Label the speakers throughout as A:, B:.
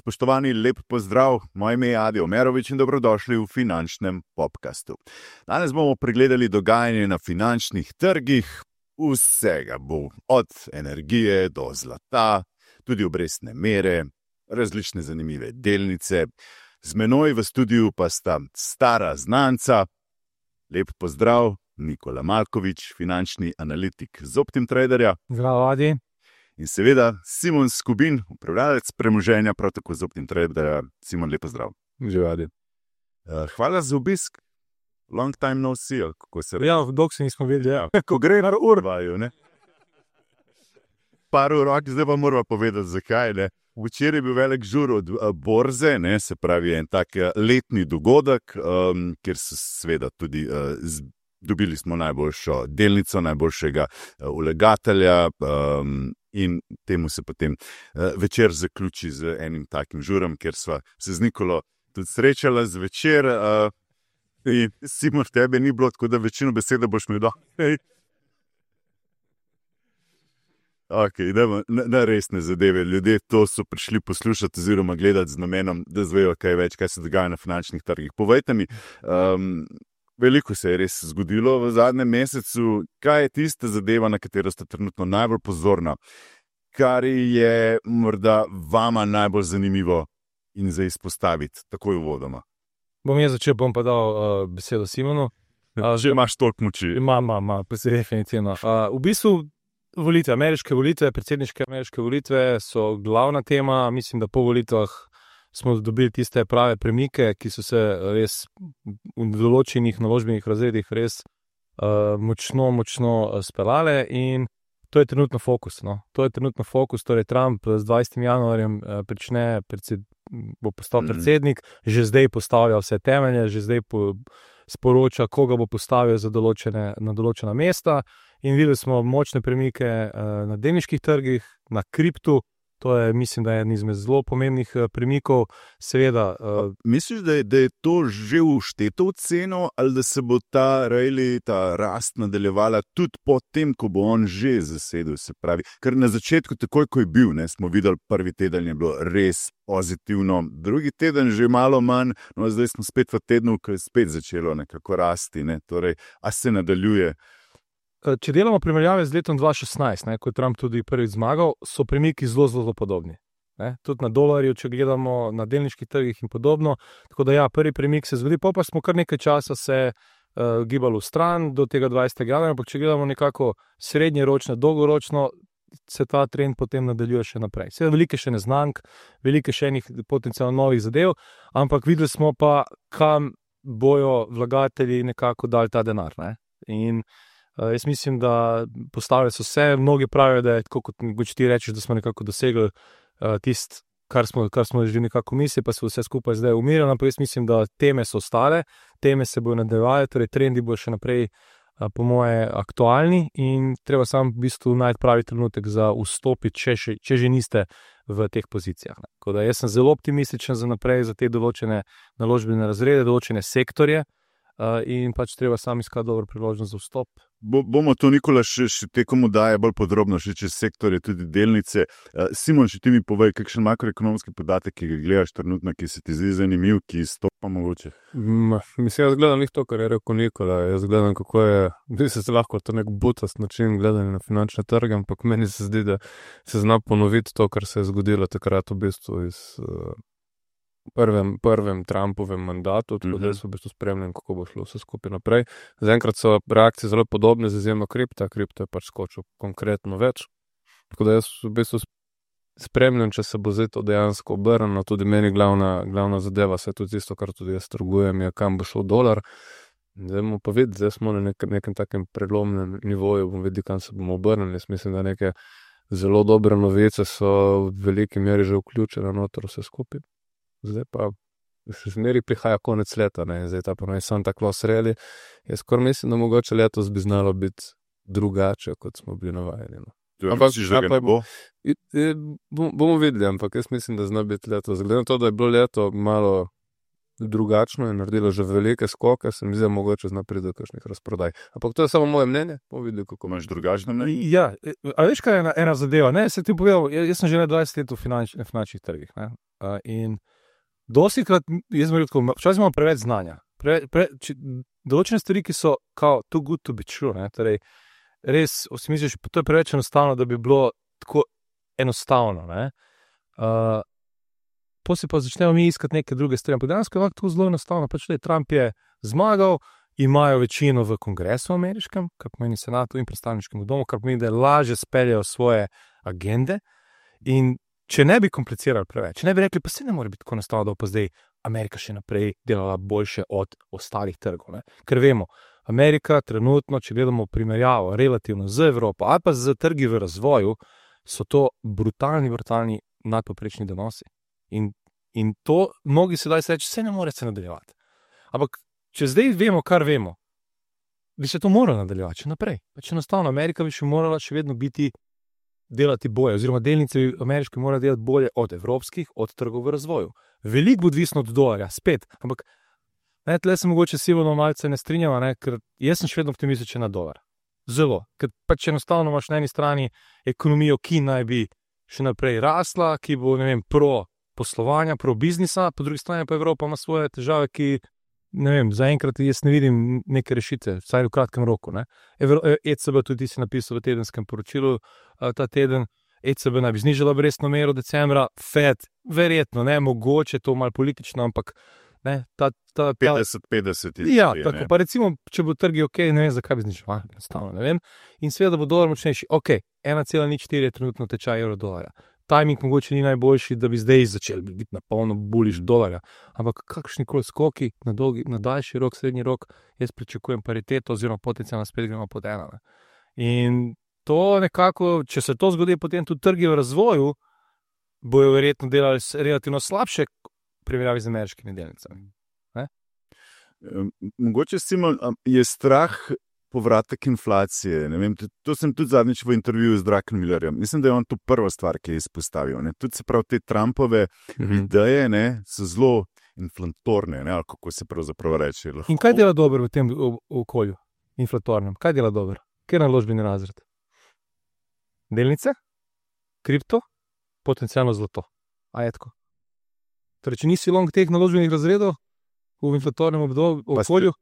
A: Spoštovani, lep pozdrav, moje ime je Adi Omerovič in dobrodošli v finančnem podcastu. Danes bomo pregledali dogajanje na finančnih trgih, vsega bo, od energije do zlata, tudi obrestne mere, različne zanimive delnice. Z menoj v studiu pa sta stara znanca, lep pozdrav, Nikola Malkovič, finančni analitik z OptimTraderja.
B: Zdravo, Adi.
A: In seveda Simon Skubin, upravljalec premoženja, prav tako z OptimTraderja. Simon, lep pozdrav.
B: Živijo, Adi.
A: Hvala za obisk. Long time no see, kako se reče.
B: Ja, dolgo se nismo videli, ja.
A: Ko gre na urvaju, ne? Par urok, zdaj pa moramo povedati, zakaj, ne? Včeraj je bil velik žur od borze, ne? Se pravi en tak letni dogodek, kjer so seveda tudi dobili smo najboljšo delnico, najboljšega vlagatelja, in temu se potem večer zaključi z enim takim žurom, kjer sva se z Nikolo tudi srečala zvečer. In Simon, tebe ni bilo, tako da večino besede boš imel dol. Ok, idemo na resne zadeve. Ljudje to so prišli poslušati oziroma gledati z namenom, da zvejo kaj več, kaj se dogaja na finančnih trgih. Povejte mi, veliko se je res zgodilo v zadnjem mesecu. Kaj je tista zadeva, na katero ste trenutno najbolj pozorna? Kar je morda vama najbolj zanimivo in za izpostaviti takoj uvodoma?
B: Bom jaz začel, bom pa dal besedo Simonu.
A: Že imaš toliko moči.
B: Ima, pa se definitivno. V bistvu volitve, ameriške volitve, predsedniške ameriške volitve so glavna tema. Mislim, da po volitvah smo dobili tiste prave premike, ki so se res v določenih naložbenih razredih res močno speljale, in to je trenutno fokus. No? To je trenutno fokus, torej Trump z 20. januarjem bo postal predsednik, že zdaj postavlja vse temelje, že zdaj sporoča, koga bo postavil na določena mesta, in videli smo močne premike na delniških trgih, na kriptu. To je, mislim, da je en izmed zelo pomembnih premikov. Seveda.
A: Misliš, da je to že všteto v ceno, ali da se bo ta rast nadaljevala tudi po tem, ko bo on že zasedel, se pravi? Ker na začetku, takoj ko je bil, ne, smo videli, prvi teden je bilo res pozitivno, drugi teden že malo manj, no zdaj smo spet v tednu, ko je spet začelo nekako rasti, ne, torej, a se nadaljuje?
B: Če delamo primerjave z letom 2016, ko je Trump tudi prvič zmagal, so premiki zelo podobni. Tudi na dolarju, če gledamo na delniških trgih in podobno. Tako da ja, prvi premik se zgodi, pa smo kar nekaj časa se gibali v stran do tega 20. januarja, ampak če gledamo nekako srednjeročno, dolgoročno, se ta trend potem nadaljuje še naprej. Seveda veliko še neznank, veliko še enih potencialno novih zadev, ampak videli smo pa, kam bojo vlagatelji nekako dali ta denar. In jaz mislim, da postavljajo so vse, mnogi pravijo, da je tako, kot ti rečeš, da smo nekako dosegli tisto, kar smo že nekako mislili, pa se vse skupaj zdaj umirilo, ampak jaz mislim, da teme so ostale, teme se bojo nadaljevale, torej trendi bojo še naprej po moje aktualni, in treba samo v bistvu najti pravi trenutek za vstopiti, če že niste v teh pozicijah. Tako da jaz sem zelo optimističen za naprej, za te določene naložbene razrede, določene sektorje, in pač treba sam iskati dobro priložnost za vstop.
A: Bomo to, Nikola, še tekom oddaje bolj podrobno, še čez sektorje, tudi delnice. Simon, še ti mi povej, kakšen makroekonomski podatek, ki ga gledaš trenutno, ki se ti zdi zanimiv, ki stopa mogoče?
C: Mislim, jaz gledam to, kar je rekel Nikola. Jaz gledam, kako je, se lahko to nek butast način gledanja na finančne trge, ampak meni se zdi, da se zna ponoviti to, kar se je zgodilo takrat v bistvu iz prvem Trumpovem mandatu, tako da so v bistvu spremljali, kako bo šlo vse skupaj naprej. Zaenkrat so reakcije zelo podobne, z izjemo kripta. Kripto je pač skočil konkretno več. Tako da jaz v bistvu spremljam, če se bo zdaj to dejansko obrnilo. Tudi meni glavna zadeva, se je tudi tisto, kar tudi jaz trgujem, je, kam bo šel dolar. Zdaj bomo pa videli, zdaj smo na nekem takem prelomnem nivoju, bomo videli, kam se bomo obrnili. Jaz mislim, da neke zelo dobre novice so v veliki meri že vključene noter vse skupaj. Zdaj pa še zmeri prihaja konec leta, zdaj ta pa sam tako sreli. Jaz skoraj mislim, da mogoče letos bi znalo biti drugače, kot smo bili navajeni. Bomo videli, ampak jaz mislim, da zna biti letos. Glede na to, da je bilo leto malo drugačno in naredilo že velike skoke, se mi zdi, mogoče zna priti do kakšnih razprodaj. Ampak to je samo moje mnenje, bomo videli, kako
A: imaš drugačno mnenje.
B: Ja, a veš, kaj je ena zadeva? Se ti povedal, jaz sem že 20 let v finančnih trgih. In dostikrat, jaz sem rekel, včasih imamo preveč znanja. Določene stvari, ki so kao too good to be true, ne, torej res, si misliš, to je preveč enostavno, da bi bilo tako enostavno, ne. Potem pa začnemo mi iskati neke druge stvari, ampak dejansko je tako zelo enostavno, pač Trump je zmagal, imajo večino v kongresu ameriškem, kar pomeni senatu in predstavniškem domu, kar pomeni, da lažje speljajo svoje agende in če ne bi komplicirali preveč, če ne bi rekli, pa se ne more biti tako enostavno, da pa zdaj Amerika še naprej delala boljše od ostalih trgov, ne? Ker vemo, Amerika trenutno, če gledamo primerjavo relativno z Evropo ali pa z trgi v razvoju, so to brutalni nadpoprečni donosi. In to mnogi sedaj se reče, se ne more se nadaljevati. Ampak, če zdaj vemo, kar vemo, bi se to moralo nadaljevati še naprej. Pač enostavno, Amerika bi še morala še vedno delati bolje, oziroma delnice ameriške morajo delati bolje od evropskih, od trgov v razvoju. Veliko bo odvisno od dolarja, spet, ampak tle se mogoče Silvano malce ne strinjava, ne, ker jaz sem še vedno optimističen na dolar. Zelo, ker pač enostavno imaš na eni strani ekonomijo, ki naj bi še naprej rasla, ki bo, ne vem, pro poslovanja, pro biznisa, po drugi strani pa Evropa ima svoje težave, ki, ne vem, zaenkrat jaz ne vidim neke rešitve, vsaj v kratkem roku, ne. ECB tudi si napisal v tedenskem poročilu ta teden, ECB naj bi znižala obrestno mero decembra, Fed, verjetno, ne, mogoče to malo politično, ampak ne,
A: 50-50 je.
B: Ja, tako, pa recimo, če bo trgi ok, ne vem, zakaj bi znižala, enostavno, ne vem, in seveda bo dolar močnejši, ok, 1,04 je trenutno tečaj evro dolarja. Timing mogoče ni najboljši, da bi zdaj začeli biti na polno buliš dolarja, ampak kakšnikoli skoki na daljši rok, srednji rok, jaz pričakujem pariteto oziroma potencialno spet gremo pod ena. In to nekako, če se to zgodi, potem tudi trgi v razvoju bojo verjetno delali relativno slabše primerjavi z ameriškimi delnicami.
A: Mogoče, Simon, je strah povratek inflacije. Ne vem, to sem tudi zadnjič v intervjuju z Druckenmillerjem. Mislim, da je on to prva stvar, ki je izpostavil. Ne. Tudi se pravi, te Trumpove ideje, ne, so zelo inflatorne, ne, ali kako se pravzaprav reče.
B: In kaj dela dobro v tem okolju inflatornem? Kaj dela dobro? Kje je naložbeni razred? Delnice? Kripto? Potencialno zlato. A je tako? Torej, če nisi long teh naložbenih razredov v inflatornem okolju,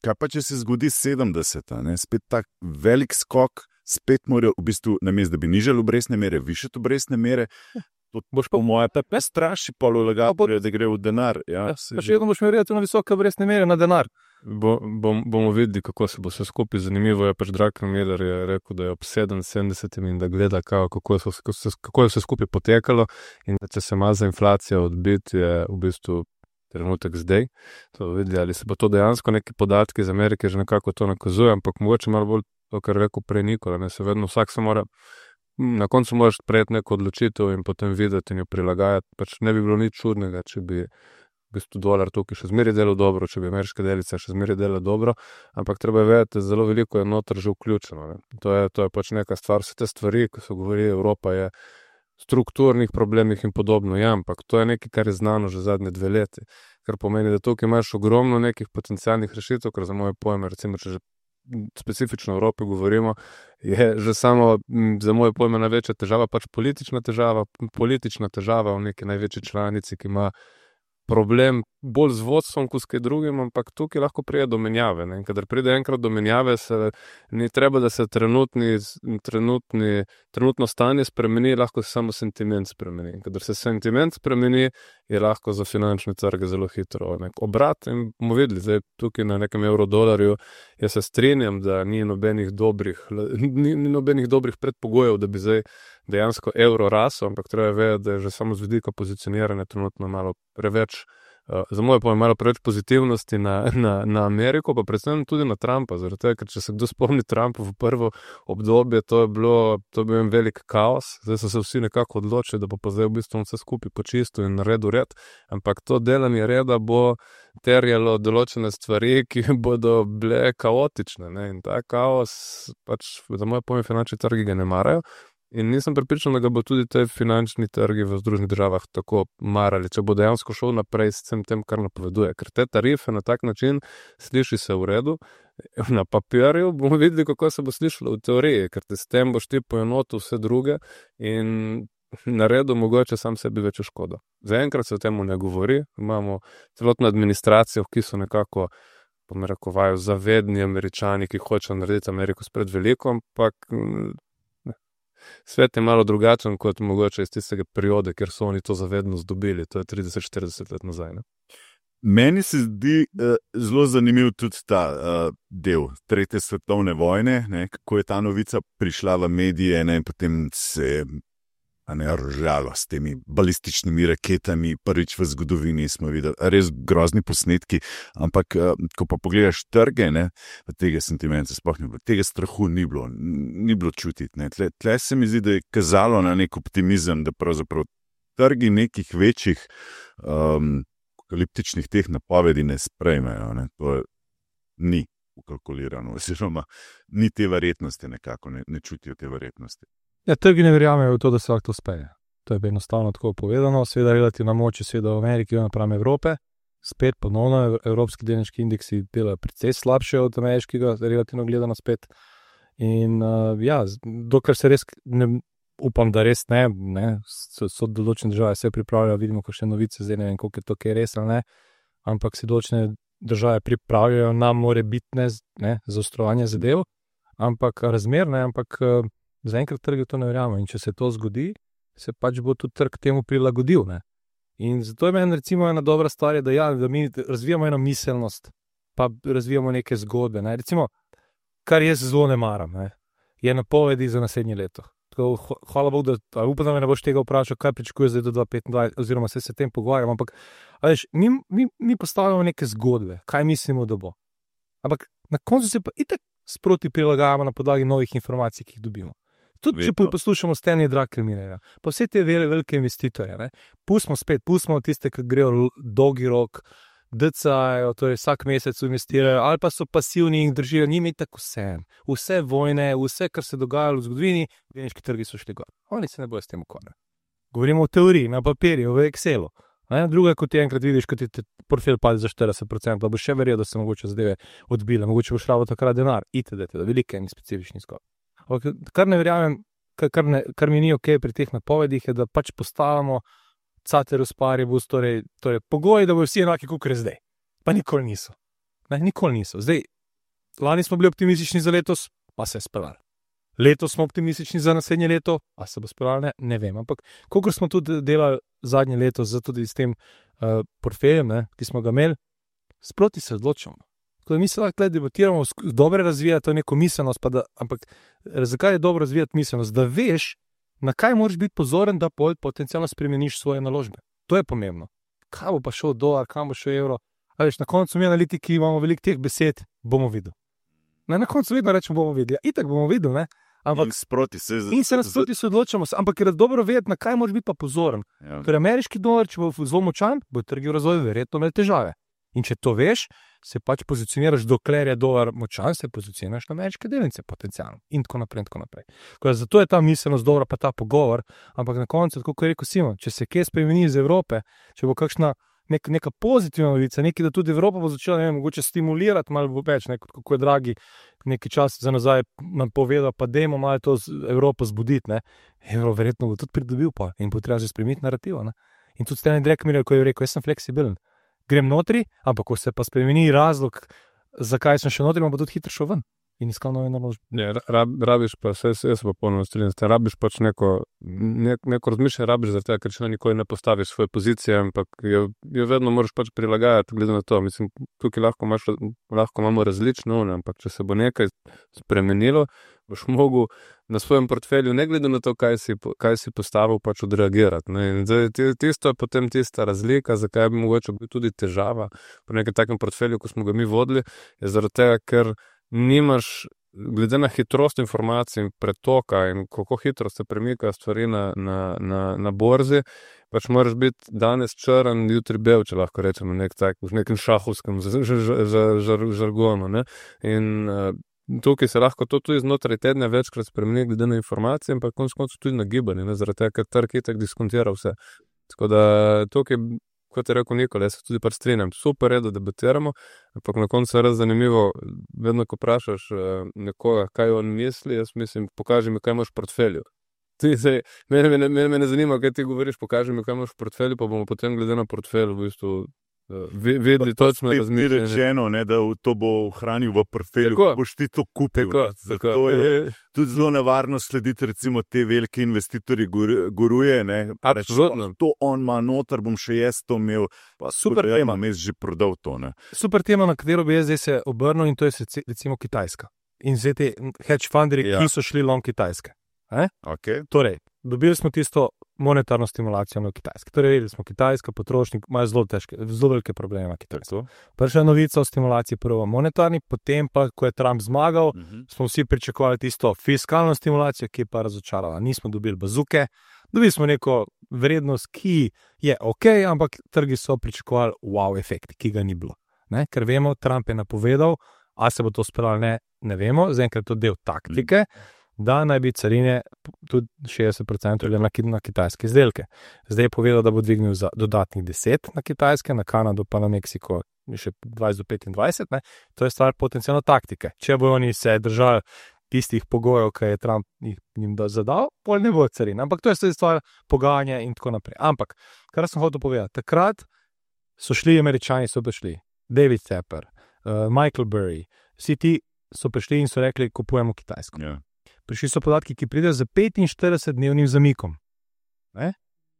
A: kaj pa, če se zgodi 70, ne? Spet tak velik skok, spet morajo v bistvu, namesto da bi nižali obrestne mere, višati obrestne mere, to boš po moje tepe straši polulagatorje, da gre v denar. Ja,
B: pa še vedno boš imel relativno visoke obrestne mere na denar.
C: Bomo videli, kako se bo vse skupaj. Zanimivo je, pač Druckenmiller je rekel, da je ob 70 in da gleda, kako je vse skupaj potekalo in da če se ima za inflacijo odbiti, je v bistvu trenutek zdaj. To videli, ali se bo to dejansko neki podatki iz Amerike že nekako to nakazuje, ampak mogoče malo bolj to, kar rekel prej Nikola, ne, se vedno vsak se mora, na koncu moraš prejeti neko odločitev in potem videti in jo prilagajati. Pač ne bi bilo nič čudnega, če bi v bistvu dolar tukaj še zmeraj delal dobro, če bi ameriške delnice še zmeraj delale dobro, ampak treba je vedeti, da zelo veliko je noter že vključeno. Ne. To je pač neka stvar, vse te stvari, ko so govorili, Evropa je strukturnih problemih in podobno, ja, ampak to je nekaj, kar je znano že zadnje 2 leti, kar pomeni, da tukaj imaš ogromno nekih potencialnih rešitev, ker za moje pojme, recimo, če že specifično o Evropi govorimo, je že samo za moje pojme največja težava, pač politična težava v neki največji članici, ki ima problem bolj z vodstvom, kot s kaj drugim, ampak tukaj lahko pride do menjave. Ne? In kadar pride enkrat do menjave, ni treba, da se trenutno stanje spremeni, lahko se samo sentiment spremeni. In kadar se sentiment spremeni, je lahko za finančne trge zelo hitro obrat. In bomo videli, zdaj tukaj na nekem evrodolarju, jaz se strinjam, da ni nobenih dobrih predpogojev, da bi zdaj dejansko evro rasel, ampak treba je vedeti, da je že samo z vidika pozicioniranja trenutno malo preveč, za moje pojme, malo preveč pozitivnosti na Ameriko, pa predvsem tudi na Trumpa, zaradi tega, ker če se kdo spomni Trumpa v prvo obdobje, to je bil en velik kaos, zdaj so se vsi nekako odločili, da bo pa zdaj v bistvu vse skupaj počistil in naredil red, ampak to delanje reda bo terjalo določene stvari, ki bodo bile kaotične, ne? In ta kaos, pač za moje pojme, finančni trgi ga ne marajo. In nisem prepričan, da ga bo tudi te finančni trgi v Združenih državah tako marali, če bo dejansko šel naprej s tem, kar napoveduje. Ker te tarife na tak način sliši se v redu, na papirju bomo videli, kako se bo slišalo v teoriji, ker te s tem boš ti poenotil vse druge in naredil mogoče sam sebi večjo škodo. Zaenkrat se o tem ne govori, imamo celotno administracijo, ki so nekako, pomerekovajo, zavedni Američani, ki hočejo narediti Ameriko spred veliko, ampak svet je malo drugačen kot mogoče iz tistega perioda, ker so oni to zavednost dobili, to je 30-40 let nazaj. Ne?
A: Meni se zdi zelo zanimiv tudi ta del Tretje svetovne vojne, ne, kako je ta novica prišla v medije, ne, in potem se ržalo s temi balističnimi raketami. Prvič v zgodovini smo videli res grozni posnetki, ampak ko pa pogledaš trge, ne, tega sentimenta sploh ni bilo, tega strahu ni bilo čutiti. Ne. Tle se mi zdi, da je kazalo na nek optimizem, da pravzaprav trgi nekih večjih apokaliptičnih teh napovedi ne sprejmejo. Ne. To ni ukalkulirano, oziroma ni te verjetnosti nekako, ne čutijo te verjetnosti.
B: Ja, trgi ne verjamejo v to, da se lahko to uspeje. To je enostavno tako povedano. Seveda relativna moč je seveda v Ameriki napram Evrope. Spet ponovno evropski delniški indeksi delajo precej slabše od ameriškega, relativno gledano spet. In dokler se res upam, da res ne, so določene države se pripravljajo, vidimo kakšne novice, zdaj ne vem, koliko je to kaj res ali ne, ampak se določene države pripravljajo na morebitne zaostrovanje zadev, ampak razmer, ampak zaenkrat trgi to ne verjamem. In če se to zgodi, se pač bo tudi trg temu prilagodil. Ne? In zato je meni recimo ena dobra stvar, da mi razvijamo eno miselnost, pa razvijamo neke zgodbe. Ne? Recimo, kar jaz zelo ne maram, je napovedi za naslednje leto. Tako, hvala Bogu, da upam, da me ne boš tega vprašal, kaj pričakuje zdaj do 2025, oziroma se tem pogovarjam, ampak veš, mi postavljamo neke zgodbe, kaj mislimo, da bo. Ampak na koncu se pa itak sproti prilagajamo na podlagi novih informacij, ki jih dobimo. Tudi če poslušamo Stanley Druckenmillerja, pa vse te velike investitorje, pustimo tiste, ki grejo dolgi rok, DCA-jo, torej vsak mesec investirajo, ali pa so pasivni in držijo, njim je tako vse vojne, vse, kar se dogajalo v zgodovini, delniški trgi so šli gor. Oni se ne bojo s tem ukvarjati. Govorimo o teoriji, na papirju, v Excelu. Druga, kot ti enkrat vidiš, kot ti portfelj pade za 40%, da bo še verjel, da se mogoče zadeve odbile, mogoče bo šlo takrat denar, itd., velike in specifični skok. Kar ne verjamem, kar mi ni ok pri teh napovedih, je, da pač postavljamo Ceteris paribus, torej pogoji, da bodo vsi enaki, kot je zdaj. Pa nikoli niso. Nikoli niso. Zdaj, lani smo bili optimistični za letos, pa se je speljalo. Letos smo optimistični za naslednje leto, a se bo speljalo, ne vem. Ampak, kolikor smo tudi delali zadnje leto, tudi s tem portfeljem, ki smo ga imeli, sproti se odločamo. Tako da mi se lahko debatiramo, dobro razvijati to neko miselnost, ampak zakaj je dobro razvijati miselnost? Da veš, na kaj moraš biti pozoren, da potencialno spremeniš svoje naložbe. To je pomembno. Kaj bo pa šel dolar, kam bo šel evro? A veš, na koncu mi analitiki imamo veliko teh besed, bomo videli. Na koncu vedno rečemo, bomo videli. Itak bomo videli, ne? Ampak, in se nasproti se odločamo, ampak je dobro vedeti, na kaj moraš biti pa pozoren. Ja. Ker ameriški dolar, če bo zelo močan, bo trgi v razvoju verjetno imel težave. In če to veš, se pač pozicioniraš, dokler je dolar močan, se pozicioniraš na ameriške delnice potencialno. In tako naprej. Zato je ta miselnost dobra, pa ta pogovor, ampak na koncu, tako kot je rekel Simon, če se kje spremeni iz Evrope, če bo kakšna neka pozitivna novica, nekaj, da tudi Evropa bo začela, ne vem, mogoče stimulirati malo več, kako je Draghi nekaj čas za nazaj nam povedal, pa dajmo malo to Evropo zbuditi, ne. Evro verjetno bo tudi pridobil pa in bo treba že spremeniti narativo, ne. In tudi Stanley Druckenmiller, ko je rekel, jaz sem fleksibilen, grem notri, ampak ko se pa spremeni razlog, zakaj sem še notri, bo tudi hitro šel ven in iskal nove naložbe.
C: Ja, rabiš pa, jaz pa polno strinjam, rabiš pač neko razmišljanje, rabiš zaradi tega, ker še nikoli ne postaviš svoje pozicije, ampak jo vedno moraš pač prilagajati, glede na to. Mislim, tukaj lahko imamo različno, ampak če se bo nekaj spremenilo, boš mogel na svojem portfelju, ne glede na to, kaj si postavil, pač odreagirati. Ne? Tisto je potem tista razlika, zakaj bi mogoče bil tudi težava pri nekem takem portfelju, ko smo ga mi vodili, je zaradi tega, ker nimaš, glede na hitrost informacij in pretoka in kako hitro se premikajo stvari na borzi, pač moraš biti danes črn, jutri bel, če lahko rečemo v nekem šahovskem žargonu. Ne? In tukaj se lahko to tudi znotraj tedna večkrat spremeni glede na informacije, ampak konec koncev tudi na gibanje, zaradi tega, ker trg itak diskontira vse. Tako da tukaj, kot je rekel Nikola, jaz se tudi strinjam, super je, da debatiramo, ampak na koncu je res zanimivo, vedno ko vprašaš nekoga, kaj on misli, jaz mislim, pokaži mi, kaj imaš v portfelju. Mene ne zanima, kaj ti govoriš, pokaži mi, kaj imaš v portfelju, pa bomo potem glede na portfelj v bistvu vedeli točno razmišljanje.
A: Rečeno, da to bo ohranil v portfelju, boš ti to kupil.
C: Tako.
A: Je tudi zelo nevarno slediti, recimo, te velike investitorji guruje.
C: Absolutno.
A: To on ima noter, bom še jaz to imel.
B: Super tema.
A: Jaz že prodal to.
B: Super tema, na katero bi jaz zdaj se obrnil, in to je recimo Kitajska. In zdaj te hedge funderji, ki so šli long Kitajske.
A: Okay.
B: Torej, dobili smo tisto monetarno stimulacijo na Kitajski. Torej, vedeli smo, Kitajska potrošnik ima zelo velike probleme na Kitajski. Prva novica o stimulaciji, prvo monetarni, potem pa, ko je Trump zmagal, smo vsi pričakovali tisto fiskalno stimulacijo, ki je pa razočarala. Nismo dobili bazuke, dobili smo neko vrednost, ki je ok, ampak trgi so pričakovali wow efekt, ki ga ni bilo. Ker vemo, Trump je napovedal, a se bo to speljalo, ne vemo, zaenkrat je to del taktike, da naj bi carine tudi 60% na kitajske izdelke. Zdaj je povedal, da bo dvignil za dodatnih 10 na Kitajske, na Kanado pa na Meksiko še 20 do 25. To je stvar potencijalno taktike. Če bo oni se držali tistih pogojev, ki je Trump jim zadal, pol ne bo carin. Ampak to je stvar pogajanja in tako naprej. Ampak, kar sem hotel povedati, takrat so šli Američani, so prišli David Tepper, Michael Burry, vsi ti so prišli in so rekli, kupujemo Kitajsko.
A: Yeah.
B: Prišli so podatki, ki pridejo za 45-dnevnim zamikom.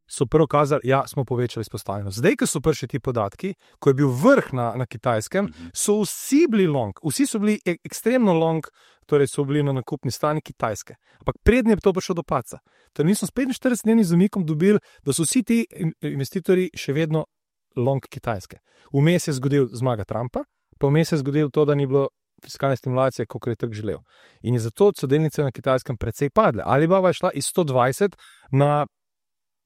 B: So prvo kazali, smo povečali izpostavljenost. Zdaj, ko so prišli ti podatki, ko je bil vrh na Kitajskem, so vsi bili long, vsi so bili ekstremno long, torej so bili na nakupni strani Kitajske. Ampak prednje je to prišlo do paca. Torej nismo s 45-dnevnim zamikom dobili, da so vsi ti investitorji še vedno long Kitajske. Vmes je zgodil zmaga Trumpa, pa vmes je zgodil to, da ni bilo fiskalne stimulacije, kot je trg želel. In je zato so delnice na Kitajskem precej padle. Alibaba je šla iz 120 na,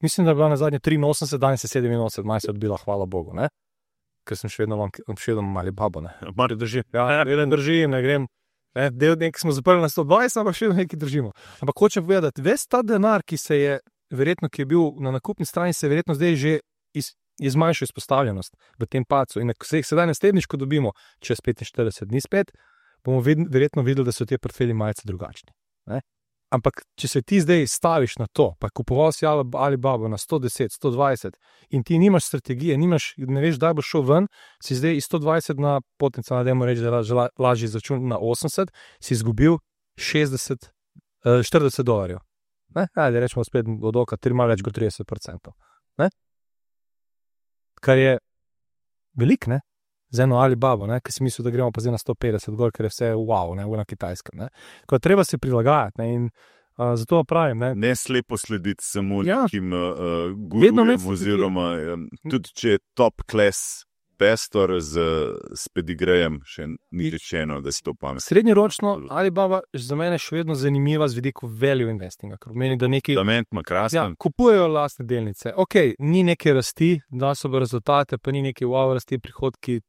B: mislim, da je bila na zadnje 83, danes je 87, maj se odbila, hvala Bogu, ker sem še vedno Alibaba,
A: Mar drži.
B: Držim, ne grem. Del nekaj smo zaprli na 120, ampak še vedno nekaj držimo. Ampak hočem povedati, ves ta denar, ki je bil na nakupni strani, se je verjetno zdaj že je zmanjšal izpostavljenost v tem pacu. In ko se jih sedaj naslednjič, ko dobimo čez 45 dni spet, bomo verjetno videli, da so te portfelji malce drugačni. Ampak, če se ti zdaj staviš na to, pa kupoval si Alibaba na 110, 120 in ti nimaš strategije, ne veš, da boš šel ven, si zdaj iz 120 na potencialno, dajmo reči, da je lažji začun na 80, si izgubil $40. Ajde, rečemo spet od oka, malo več kot 30%. Kar je velik, za eno Alibabo, ki si mislil, da gremo pa zdaj na 150 gor, ker je vse wow, na Kitajskem. Ko treba se prilagajati in zato pravim.
A: Ne slepo slediti samo nekim gurujem oziroma tudi če je top class pestor s pedigrejem, še ni rečeno, da si to pametno.
B: Srednjeročno Alibaba za mene še vedno zanimiva z vidika value investinga, ker pomeni, da neki kupujejo lastne delnice. Ok, ni neke rasti, da so rezultate, pa ni neke wow rasti, prihodki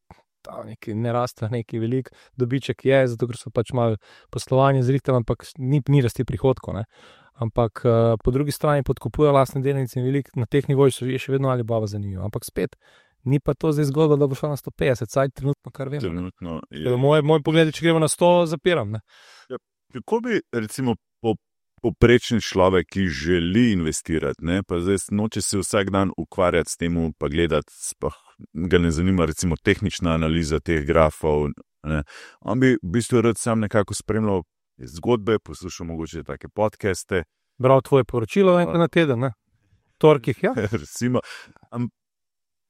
B: ne raste, neki velik dobiček je, zato ker so pač malo poslovanje zrihtali, ampak ni rasti prihodkov. Ampak po drugi strani podkupujejo lastne delnice in velik, na teh nivojih je še vedno Alibaba zanimiva. Ampak spet, ni pa to zdaj zgodba, da bo šla na 150, saj trenutno, kar vemo.
A: Trenutno,
B: moj pogled, če gremo na 100, zapiram.
A: Kako bi, recimo, poprečni človek, ki želi investirati, pa zdaj noče se vsak dan ukvarjati s tem, pa gledati, ga ne zanima, recimo, tehnična analiza teh grafov. On bi v bistvu rad sam nekako spremljal zgodbe, poslušal mogoče take podcaste.
B: Bral tvoje poročilo na teden, torkih,
A: Recimo,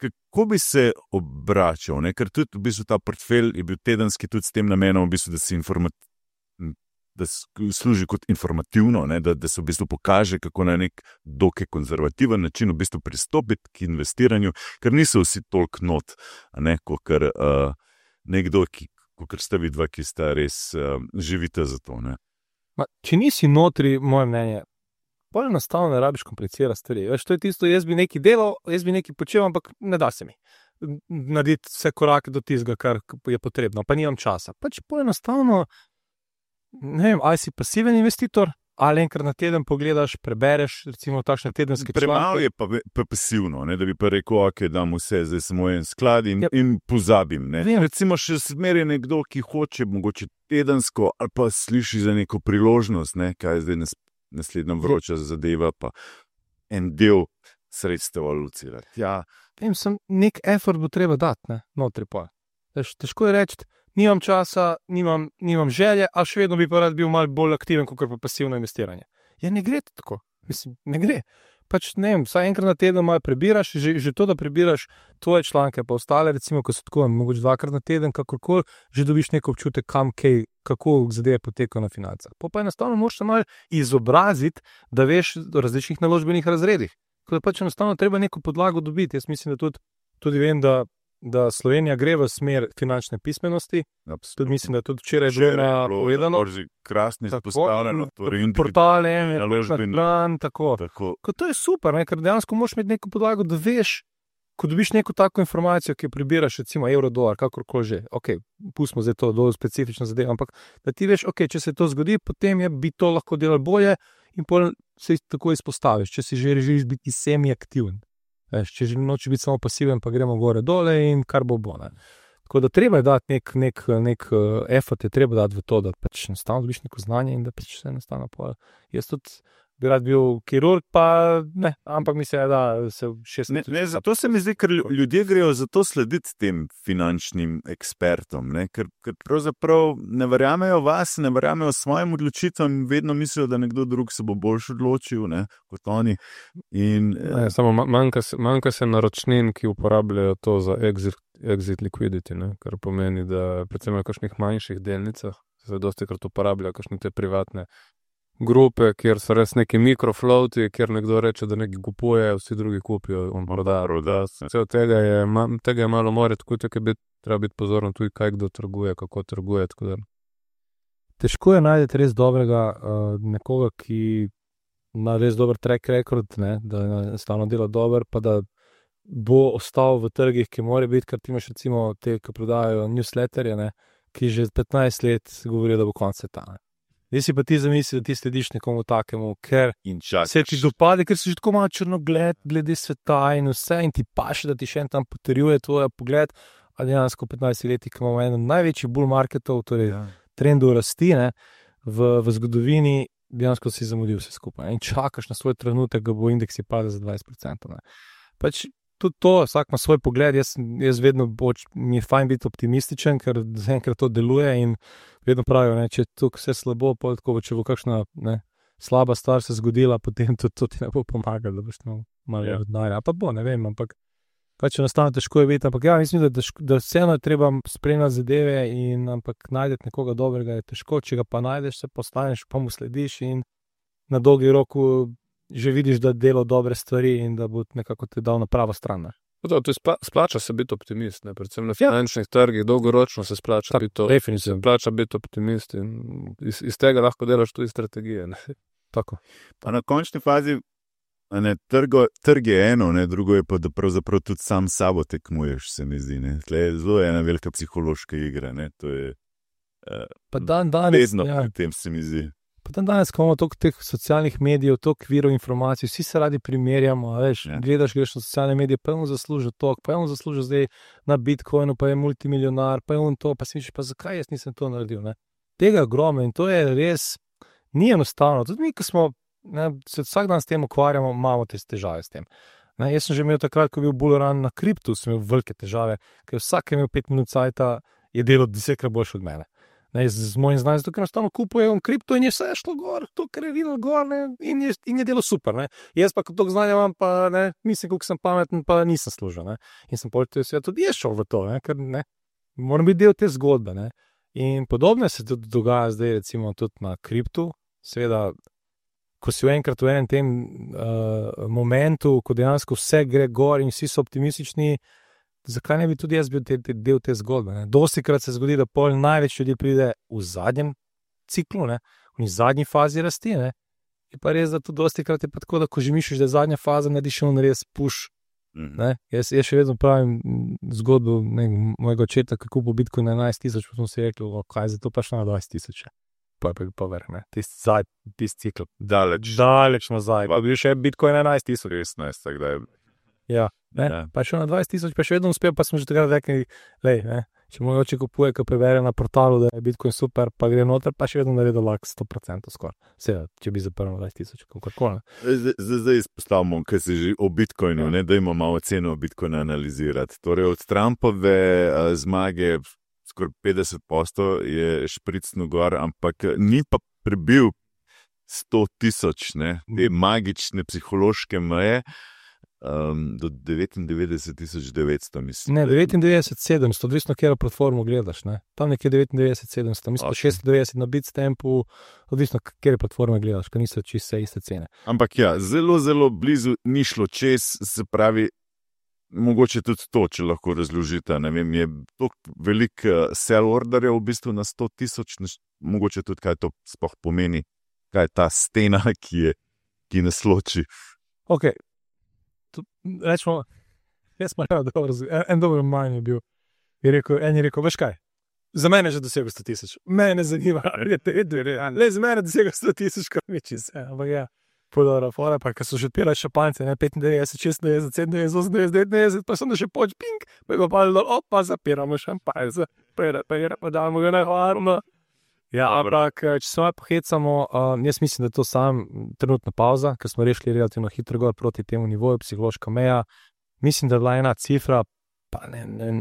A: kako bi se obračal, ker tudi v bistvu ta portfelj je bil tedenski tudi s tem namenom, v bistvu, da služi kot informativno, da se v bistvu pokaže, kako na nek dokaj konzervativen način v bistvu pristopiti k investiranju, ker niso vsi toliko not, kot nekdo, kot ste vidva, ki sta res živite za to.
B: Če nisi notri, moje mnenje, bolj enostavno ne rabiš komplicirati stvari. Veš, to je tisto, jaz bi nekaj delal, jaz bi nekaj počel, ampak ne da se mi narediti vse korake do tistega, kar je potrebno, pa nimam časa. Pač bolj enostavno, ne vem, ali si pasiven investitor, ali enkrat na teden pogledaš, prebereš, recimo takšne tedenske članke.
A: Premalo je pa pasivno, da bi pa rekel, ok, dam vse, zdaj samo en sklad in pozabim. Recimo še zmeraj nekdo, ki hoče mogoče tedensko, ali pa sliši za neko priložnost, kaj zdaj naslednja vroča zadeva, pa en del sredstev alocirati. Ja.
B: Nek effort bo treba dati, ne, notri pa. Težko je reči, nimam časa, nimam želje, a še vedno bi pa rad bil malo bolj aktiven, kot pa pasivno investiranje. Ja, ne gre tako. Mislim, ne gre. Pač ne vem, vsaj enkrat na teden malo prebiraš, že to, da prebiraš tvoje članke, pa ostale, recimo, ko so tako, mogoče 2-krat na teden, kakorkoli, že dobiš neko občutek, kako zadeve potekajo na financah. Pa enostavno moraš se malo izobraziti, da veš o različnih naložbenih razredih. Ko je pač enostavno treba neko podlago dobiti. Jaz mislim, da tudi vem, da Slovenija gre v smer finančne pismenosti. Tudi mislim, da je tudi včeraj že povedano.
A: Krasno izpostavljeno.
B: Portale, naložbeni plan, tako. To je super, ne? Ker dejansko moraš imeti neko podlago, da veš, ko dobiš neko tako informacijo, ki jo prebiraš, recimo evro, dolar, kakorkoli že. Ok, pustimo zdaj to dolj specifično zadevo, ampak da ti veš, ok, če se to zgodi, potem bi to lahko delali bolje in potem se tako izpostaviš, če si želiš biti semi-aktiven. Če nočeš biti samo pasiven, pa gremo gore dole in kar bo. Tako da treba je dati nek effort, je treba dati v to, da pač enostavno dobiš neko znanje in da pač se enostavno pol. Jaz tudi bi rad bil kirurg, pa ne, ampak mislim, da se
A: zato se mi zdi, ker ljudje grejo zato slediti tem finančnim ekspertom, ne? Ker pravzaprav ne verjamejo vas, ne verjamejo svojim odločitvam in vedno mislijo, da nekdo drug se bo boljš odločil, ne, kot oni.
C: Samo manjka se naročnin, ki uporabljajo to za exit liquidity, ne? Kar pomeni, da predvsem v kakšnih manjših delnicah se dostikrat uporabljajo kakšne te privatne grupe, kjer so res neki mikroflowti, kjer nekdo reče, da nekaj kupuje, vsi drugi kupijo, on proda. Vse od tega je malo more, tako da treba biti pozoren tudi, kaj kdo trguje, kako trguje.
B: Težko je najti res dobrega nekoga, ki ima res dober track record, ne, da stalno dela dober, pa da bo ostal v trgih, ki mora biti, ker ti imaš recimo te, ki prodajajo newsletterje, ne, ki že 15 let govorijo, da bo konec sveta. Zdaj si pa ti zamisli, da ti slediš nekomu takemu, ker se ti dopade, ker si že tako malo črnogled glede sveta in vse in ti paše, da ti še en tam potrjuje tvoj pogled, a dejansko 15 letih, ki imamo eno največjih bull marketov, torej trendov rasti, ne, v zgodovini, dejansko si zamudil vse skupaj in čakaš na svoj trenutek, da bo indeksi padel za 20%. Ne. Pač tudi to, vsak ima svoj pogled, jaz vedno mi je fajn biti optimističen, ker zaenkrat to deluje in vedno pravijo, ne, če je tukaj vse slabo, tako, če bo kakšna slaba stvar se zgodila, potem tudi to ti ne bo pomagalo, da boš malo denarja. Pa bo, ne vem, ampak pač enostavno težko je biti, ampak ja, mislim, da vseeno je treba spremljati zadeve ampak najdeti nekoga dobrega je težko, če ga pa najdeš, se postaneš, pa mu slediš in na dolgi roku že vidiš, da dela dobre stvari in da bo nekako te dal na pravo stran.
C: To splača se biti optimist, ne? Predvsem na finančnih trgih, dolgoročno se splača biti optimist in iz tega lahko delaš tudi strategije. Ne?
B: Tako.
A: Pa na končni fazi trg je eno, ne? Drugo je pa, da pravzaprav tudi sam sabo tekmuješ, se mi zdi. Tle je zelo ena velika psihološka igra. Ne? To je vedno pri tem, se mi zdi.
B: Pa danes, ko imamo toliko teh socialnih medijev, toliko virov informacij, vsi se radi primerjamo, veš, gledaš, greš na socialne medije, pa je on zaslužil toliko, pa je on zaslužil zdaj na Bitcoinu, pa je multimilionar, pa je on to, pa si misliš, pa zakaj jaz nisem to naredil, ne? Tega je ogromno in to je res, ni enostavno. Tudi mi, ko smo, se vsak dan s tem ukvarjamo, imamo te težave s tem. Ne, jaz sem že imel takrat, ko je bil bullrun na kriptu, sem imel velike težave, ker vsak je imel 5 minut cajta, je delal 10-krat boljše od mene. Z mojim znanjem, zato ker enostavno kupujem kripto in je vse šlo gor, to, kar je videl gor, ne, in je delo super. Ne. Jaz pa, ko to znanje imam, pa ne, mislim, koliko sem pameten, pa nisem služil. Ne. In sem tudi jaz šel v to, ne, ker ne, moram biti del te zgodbe. Ne. In podobno se tudi dogaja zdaj, recimo, tudi na kriptu. Seveda, ko si enkrat v enem tem momentu, ko dejansko vse gre gor in vsi so optimistični, zakaj ne bi tudi jaz bil del te zgodbe? Dostikrat se zgodi, da pol največ ljudi pride v zadnjem ciklu, ne? V zadnji fazi rasti. Ne? Je pa res, da tudi dostikrat je pa tako, da ko že misliš, da je zadnja faza, narediš on res push. Ne? Jaz še vedno pravim zgodbo mojega očeta, kako kupo Bitcoin na 11.000, pa smo si rekli, kaj je za to pa šlo na 20.000. Pa je pa verjame, tisti cikl. Daleč nazaj. Pa bi še Bitcoin na 11.000.
A: 16, tako da je.
B: Ja, pa še na 20.000, pa še vedno uspel, pa smo že takrat rekli, Če mogoče kupuje, ko preveri na portalu, da je Bitcoin super, pa gre noter, pa še vedno naredi lahko 100% skoraj. Seveda, če bi zaprl 20.000, kakorkoli.
A: Zdaj izpostavimo, kaj se že o Bitcoinu, ne, da imamo malo ceno Bitcoina analizirati. Torej, od Trumpove zmage skoraj 50% je špricno gor, ampak ni pa prebil 100.000, ne, te magične psihološke meje. Do 99.900, mislim.
B: Ne, 99.700, odvisno, kjer platformo gledaš. Ne? Tam nekje 99.700, mislim, okay. 96 na Bitstampu, odvisno, kjer platforme gledaš, ker niso čisto iste cene.
A: Ampak ja, zelo, zelo blizu ni šlo čez, se pravi, mogoče tudi to, če lahko razložite. Ne vem, je toliko velik sell orderjev v bistvu na 100.000, mogoče tudi kaj to sploh pomeni, kaj je ta stena, ki nas loči.
B: Ok. Rečemo, jaz sem dobro, en dober manj je bil. En je rekel, veš kaj, za mene je že dosegel 100.000. Mene ne zanima, le za mene je dosegel 100.000, kar več iz. Ampak ja, podora fora, pa ko so že odpirali šampance, 95, 96, 97, 98, 99, pa sem da še poč, ping, pa je pa dol, opa, zapiramo šampance, pa damo ga na hvarno. Ja, ampak, če se malo pohecamo, jaz mislim, da je to sam trenutna pauza, ker smo rešili relativno hitro gor proti temu nivoju, psihološka meja. Mislim, da je bila ena cifra, pa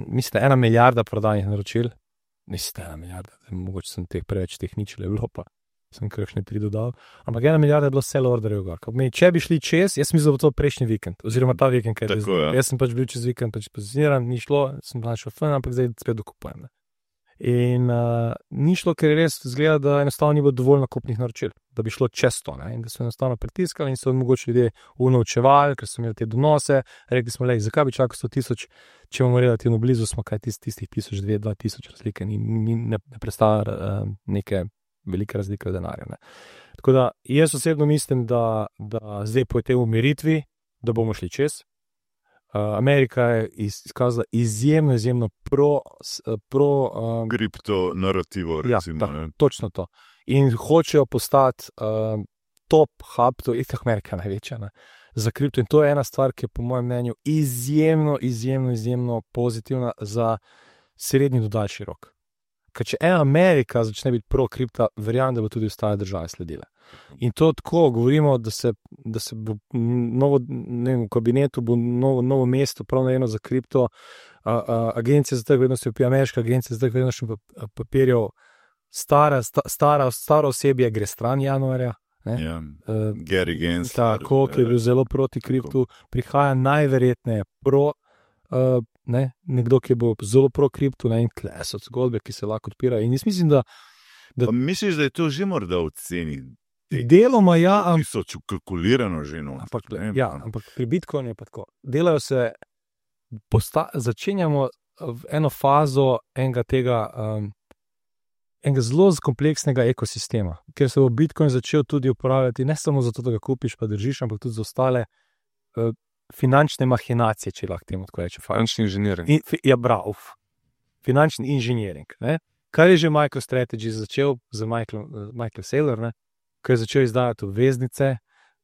B: mislim, 1 milijarda prodanih naročil. Mislim, 1 milijarda, mogoče sem preveč tehničil, je bilo pa, sem kakšne 3 dodal. Ampak 1 milijarda je bilo sell orderjev gor. Če bi šli čez, jaz mislim, da bo to prejšnji vikend, oziroma ta vikend, kaj je. Jaz sem pač bil čez vikend, pač pozicioniran, ni šlo, sem našel fun, ampak zdaj spet dokupujem. In ni šlo, ker res zgleda, da enostavno ni bilo dovolj nakupnih naročil, da bi šlo čez to, ne? In da so enostavno pritiskali in so mogoče ljudje unovčevali, ker so imeli te donose, rekli smo, zakaj bi čakal 100.000, če bomo relativno blizu, smo kaj tistih 1.000-2.000 razlike, ne predstavlja neke velike razlike v denarju. Ne? Tako da jaz osebno mislim, da zdaj po tej umiritvi, da bomo šli čez. Amerika je izkazala izjemno pro
A: kripto narativo, recimo.
B: Ja, točno to. In hočejo postati top hub, to je Amerika največja, ne, za kripto. In to je ena stvar, ki je po mojem mnenju izjemno pozitivna za srednji do daljši rok. Ker če ena Amerika začne biti pro kripta, verjamem, da bo tudi ostale države sledile. In to tako govorimo, da se bo novo, ne vem, v kabinetu bo novo mesto prav narejeno za kripto, agencija za trg vrednosti, ameriška agencija za trg vrednosti papirjev, staro osebje gre stran januarja.
A: Ja, Gary Gensler.
B: Tako, ki je bil zelo proti kriptu, prihaja najverjetneje nekdo, ki bo zelo pro kriptu, in tle so zgodbe, ki se lahko odpirajo. In jaz mislim, da
A: misliš, da je to že morda v ceni?
B: Deloma ja,
A: ki so kalkulirano že.
B: Ampak pri Bitcoinu je pa tako. Delajo se, začenjamo v eno fazo enega zelo kompleksnega ekosistema, ker se bo Bitcoin začel tudi uporabljati ne samo zato, da ga kupiš pa držiš, ampak tudi za ostale finančne mahinacije, če lahko temu tako reče.
C: Finančni inženiring.
B: Ja, bravo. Finančni inženiring. Kar je že MicroStrategy začel z Michael Saylor, ne? Ko je začel izdajati obveznice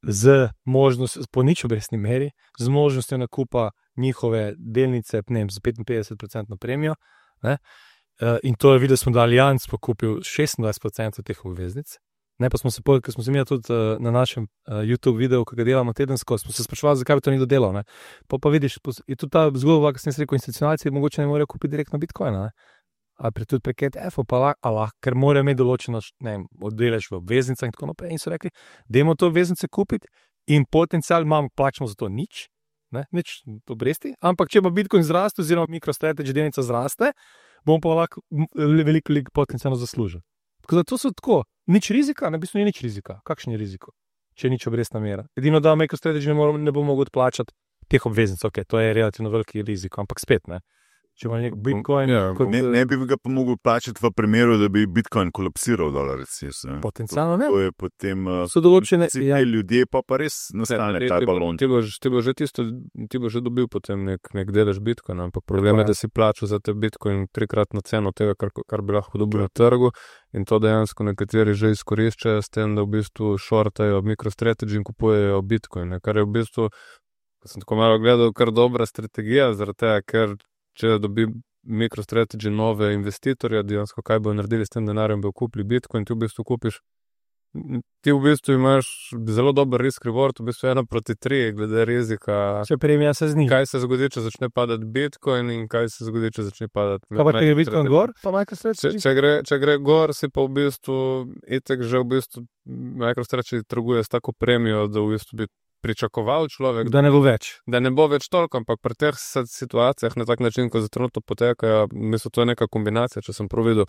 B: z možnostjo, po nič obrestni meri, z možnostjo nakupa njihove delnice, ne vem, z 55% premijo. In to je videl, smo, da Allianz pokupil 26% teh obveznic. Ne, pa smo se ko smo se mi tudi na našem YouTube videu, ko ga delamo tedensko, smo se sprašvali, zakaj bi to ni dodelal. Ne. Pa vidiš, je tudi ta zgodba, ki sem se rekel, institucionalci mogoče ne morejo kupiti direktno Bitcoina, ne. Ali tudi prek ETF-ov, pa lahko, ker morajo imeti določeno, ne vem, oddelež v obveznicah in tako naprej. In so rekli, dajmo to obveznice kupiti in potencial imamo, plačamo za to nič obresti, ampak če bo Bitcoin zraste oziroma MicroStrategy delnica zraste, bomo pa lahko veliko potencialno zaslužili. Tako da to so tako, nič rizika, ne, v bistvu ni nič rizika. Kakšen je riziko, če je nič obrestna mera? Edino, da MicroStrategy ne bo mogel odplačati teh obveznic, ok, to je relativno veliki riziko, ampak spet, ne. Če ima nek Bitcoin...
A: Ne bi ga pa mogel plačati v primeru, da bi Bitcoin kolapsiral dolar, recimo.
B: Potencialno ne.
A: To je potem...
B: So določene...
A: Ljudje pa res nastane ta balon.
C: Ti bo že dobil potem nek delež Bitcoina, ampak problem je, da si plačal za te Bitcoin 3-kratno ceno tega, kar bi lahko dobil na trgu, in to dejansko nekateri že izkoriščajo s tem, da v bistvu shortajo MicroStrategy in kupujejo Bitcoin, kar je v bistvu, ko sem tako malo gledal, kar dobra strategija, zaradi tega, ker če dobi MicroStrategy nove investitorje, dejansko kaj bo naredili s tem denarjem, bo kupili Bitcoin, ti v bistvu kupiš. Ti v bistvu imaš zelo dober risk reward, v bistvu 1:3 glede rizika.
B: Če premija se zniža.
C: Kaj se zgodi, če začne padati Bitcoin in kaj se zgodi, če začne padati.
B: Kaj pa če gre Bitcoin gor, pa MicroStrategy?
C: Če gre gor, si pa v bistvu itek že v bistvu MicroStrategy trguje s tako premijo, da v bistvu bi pričakoval človek,
B: Da ne bo več.
C: da ne bo več toliko, ampak pri teh situacijah na tak način, ko za trenutno potekajo, mislim, to je neka kombinacija, če sem prav videl.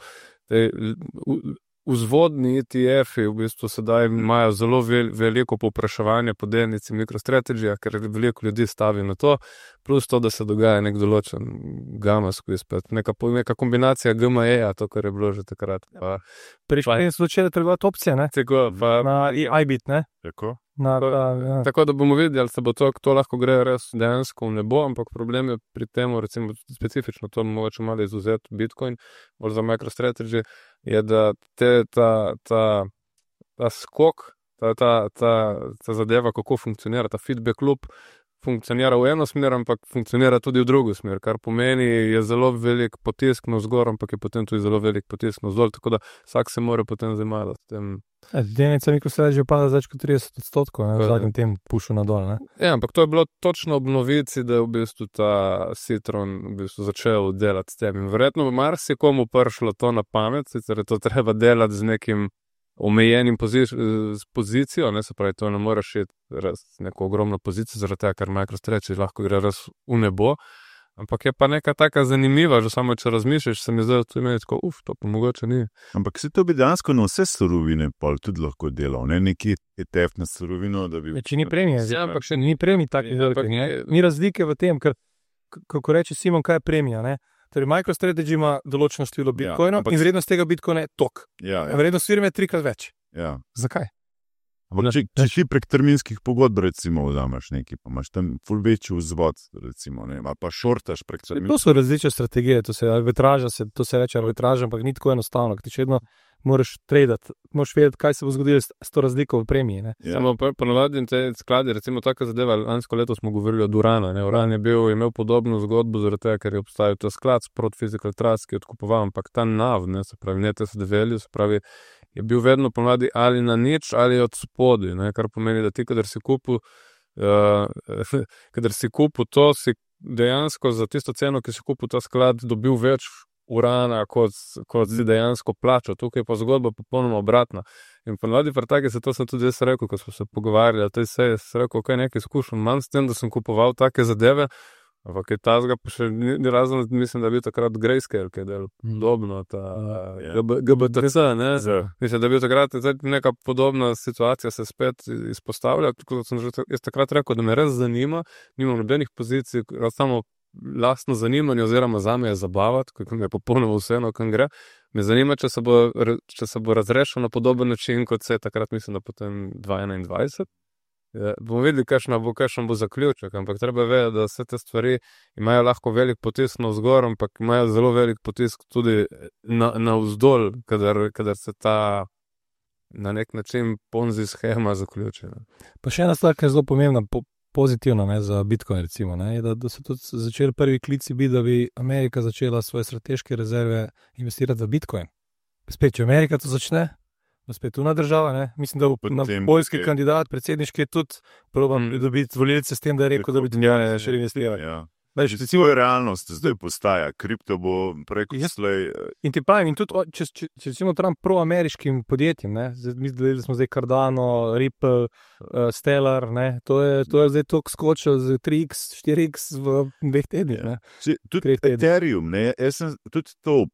C: Vzvodni ETF-i v bistvu sedaj imajo zelo veliko povpraševanje po delnici MicroStrategy, ker veliko ljudi stavi na to, plus to, da se dogaja nek določen gamma squeeze, neka kombinacija GME-ja, to, kar je bilo že takrat.
B: Prejšnji so začeli trgovati opcije, ne?
C: Tako,
B: Na iBit, ne?
A: Tako?
C: Tako da bomo videli, ali se bo to lahko gre res dejansko v nebo, ampak problem je pri tem, recimo specifično to mogoče malo izuzeti Bitcoin, bolj za MicroStrategy, je, da ta skok, ta zadeva, kako funkcionira, ta feedback loop, funkcionira v eno smer, ampak funkcionira tudi v drugo smer, kar pomeni, je zelo velik potisk navzgor, ampak je potem tudi zelo velik potisk navzdol, tako da vsak se mora potem zamajati s tem.
B: Delnica MicroStrategy pada več kot 30%, ne, v zadnjem tem pušu nadol, ne?
C: Ja, ampak to je bilo točno ob novici, da je v bistvu ta Citron v bistvu začel delati s tem. In verjetno bo marsikomu prišlo to na pamet, sicer je to treba delati z nekim omejenim pozicijo, ne, se pravi, to ne moreš iti res neko ogromno pozicijo, zaradi tega, ker MicroStrategy lahko gre res v nebo. Ampak je pa neka taka zanimiva, že samo če razmišljaš, se mi zdaj to imeti tako, to pa mogoče ni.
A: Ampak se to bi dejansko na vse surovine pol tudi lahko delal, ne neki ETF na surovino, da bi...
B: Če ni premije,
C: Ja, ampak še
B: ni premij takih velikih, ne? Ni razlike v tem, ker, kako reče Simon, kaj je premija, ne? Torej, MicroStrategy ima določeno število bitcoinov
A: ampak-
B: in vrednost tega bitcoina je tok.
A: Ja,
B: Vrednost firme je 3-krat več.
A: ja.
B: Zakaj?
A: Ampak če ti prek terminskih pogodb recimo vzameš nekaj, pa imaš tam ful večji vzvod, recimo, ne, ali pa šortaš prek
B: To
A: terminskih.
B: so različne strategije, to se reče arbitraža, ampak ni tako enostavno, ker ti še vedno moraš tradati, moraš vedeti, kaj se bo zgodilo s to razliko v premiji, ne?
A: Ja.
C: Samo ponovadi te skladi, recimo taka zadeva, lansko leto smo govorili od Urana, ne, Uran je imel podobno zgodbo, zaradi tega, ker je obstajal ta sklad Sprott Physical Trust, ki je odkupoval, ampak ta NAV, ne, se pravi, ne TSD value, se pravi, je bil vedno ponovadi ali na nič ali od spodaj, ne, kar pomeni, da ti, kadar si kupil to, si dejansko za tisto ceno, ki si kupil ta sklad, dobil več urana, kot si dejansko plačal. Tukaj je pa zgodba popolnoma obratna. In ponovadi pri taki se to sem tudi jaz rekel, ko smo se pogovarjali, to je sem rekel, kaj nekaj izkušen, manj s tem, da sem kupoval take zadeve, ampak je tazga pa še ni razen, mislim, da je bil takrat Grayscale, ki je del podobno, ta GBTC, ne? Mislim, da je bil takrat neka podobna situacija se spet izpostavlja, tako da sem že jaz takrat rekel, da me res zanima, nimam nobenih pozicij, samo lastno zanimanje oziroma zame je zabavati, kako mi je popolnoma vseeno, kam gre. Me zanima, če se bo razrešil na podoben način, kot se je takrat, mislim, da potem 2021. Bomo videli, kakšen bo zaključek, ampak treba vedeti, da vse te stvari imajo lahko velik potisk navzgor, ampak imajo zelo velik potisk tudi navzdol, kadar se ta na nek način ponzi shema zaključi.
B: Pa še ena stvar, ki je zelo pomembna, pozitivna, ne, za Bitcoin recimo, ne, je, da so tudi začeli prvi klici biti, da bi Amerika začela svoje strateške rezerve investirati v Bitcoin. Spet, če Amerika to začne, bo spet tuna država, ne, mislim, da bo poljski kandidat, predsedniški tudi proban pridobiti volilce s tem, da je rekel, da bi še investirali.
A: Ja.
B: Recimo,
A: je realnost zdaj postaja, kripto bo preko slej.
B: In ti pravim, in tudi, če recimo Trump proameriškim podjetjem, ne, videli smo zdaj Cardano, Ripple, Stellar, ne, to je zdaj toliko skočil z 3x, 4x v 2 tednih, ne.
A: Tudi Ethereum, ne, jaz sem tudi to,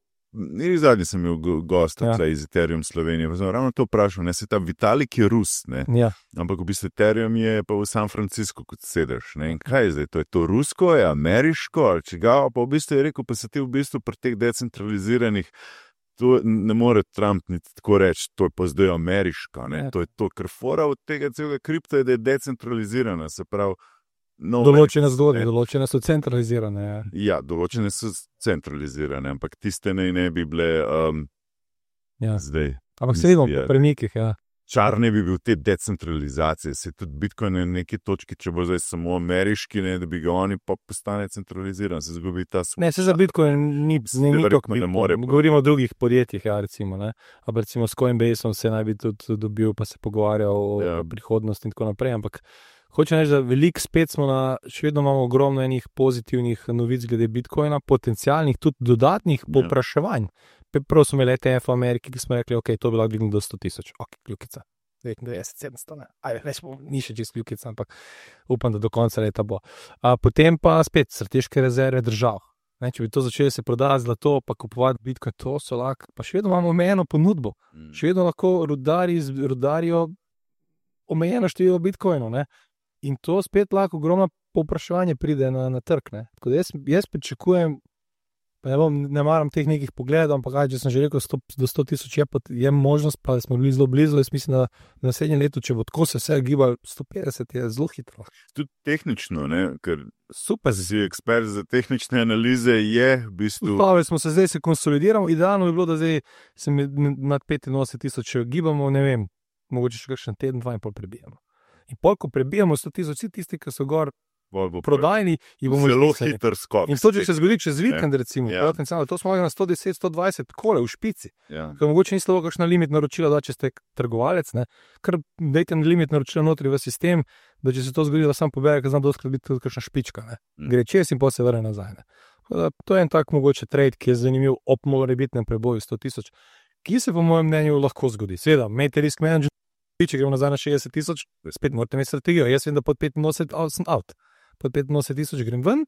A: zadnji sem imel gosta iz Ethereum Slovenije, pa sem ravno to vprašal, ne, se ta Vitalik je Rus, ne, ampak v bistvu Ethereum je pa v San Francisco kot sedež, ne, in kaj je zdaj, to je to rusko, je ameriško, ali čigava, pa v bistvu je rekel, pa se ti v bistvu pri teh decentraliziranih, to ne more Trump niti tako reči, to je pa zdaj ameriška, ne, to je to, ker fora od tega celega kripta je, da je decentralizirana, se pravi,
B: določene zgodbe, določene so centralizirane.
A: Ja, določene so centralizirane, ampak tiste ne bi bile zdaj.
B: Ampak se vidimo po premikih, ja.
A: čar ne bi bil te decentralizacije. Se tudi Bitcoin na neki točki, če bo zdaj samo ameriški, ne, da bi ga oni pa postane centraliziran, se zgubi ta
B: Ne, se za Bitcoin ni tako.
A: ne more.
B: Govorimo o drugih podjetjih, ja, recimo, ne. Ampak recimo s Coinbaseom se naj bi tudi dobil, pa se pogovarjal o prihodnosti in tako naprej, ampak hočem reči, da veliko spet smo še vedno imamo ogromno enih pozitivnih novic glede Bitcoina, potencialnih, tudi dodatnih povpraševanj. Prav smo imeli ETF v Ameriki, ki smo rekli, ok, to bi lahko dvignili do 100,000, ok, kljukica. 99, 700, ne. Rečemo, ni še čist kljukica, ampak upam, da do konca leta bo. Potem pa spet strateške rezerve držav. Ne, če bi to začeli se prodati zlato, pa kupovati Bitcoin, to so lahko, pa še vedno imamo omejeno ponudbo. Še vedno lahko rudarijo omejeno število Bitcoinov, ne. In to spet lahko ogromno povpraševanje pride na trg, ne. Tako da jaz pričakujem, pa ne maram teh nekih pogledov, ampak če sem že rekel, do 100,000 je možnost, pa smo bili zelo blizu, jaz mislim, da na naslednjem letu, če bo tako se vse gibalo, 150 je zelo hitro.
A: Tudi tehnično, ne, ker super si ekspert za tehnične analize, je v bistvu...
B: Smo se zdaj konsolidiramo, idealno bi bilo, da zdaj se nad 85,000 gibamo, ne vem, mogoče še kakšen teden, 2 in pol prebijamo. In pol, ko prebijamo 100,000, vsi tisti, ki so gor prodajni, jih bomo
A: zelo hiter skok.
B: In to, če se zgodi čez vikend, recimo, to smo na 110, 120, kole v špici. Ker mogoče ni slovo kakšna limit naročila, da če ste trgovalec, ne, kar dajte limit naročila notri v sistem, da če se to zgodi, da sam pobere, ker znam doskrat biti tudi kakšna špička, ne. Gre čez in potem se vrne nazaj, ne. To je en tak mogoče trade, ki je zanimiv ob morebitnem preboju 100,000, ki se po mojem mnenju lahko zgodi. Seveda, imejte risk management, če gremo nazaj na 60,000, spet morate imeti strategijo. Jaz vem, da pod 85 sem out. Pod 85,000 grem ven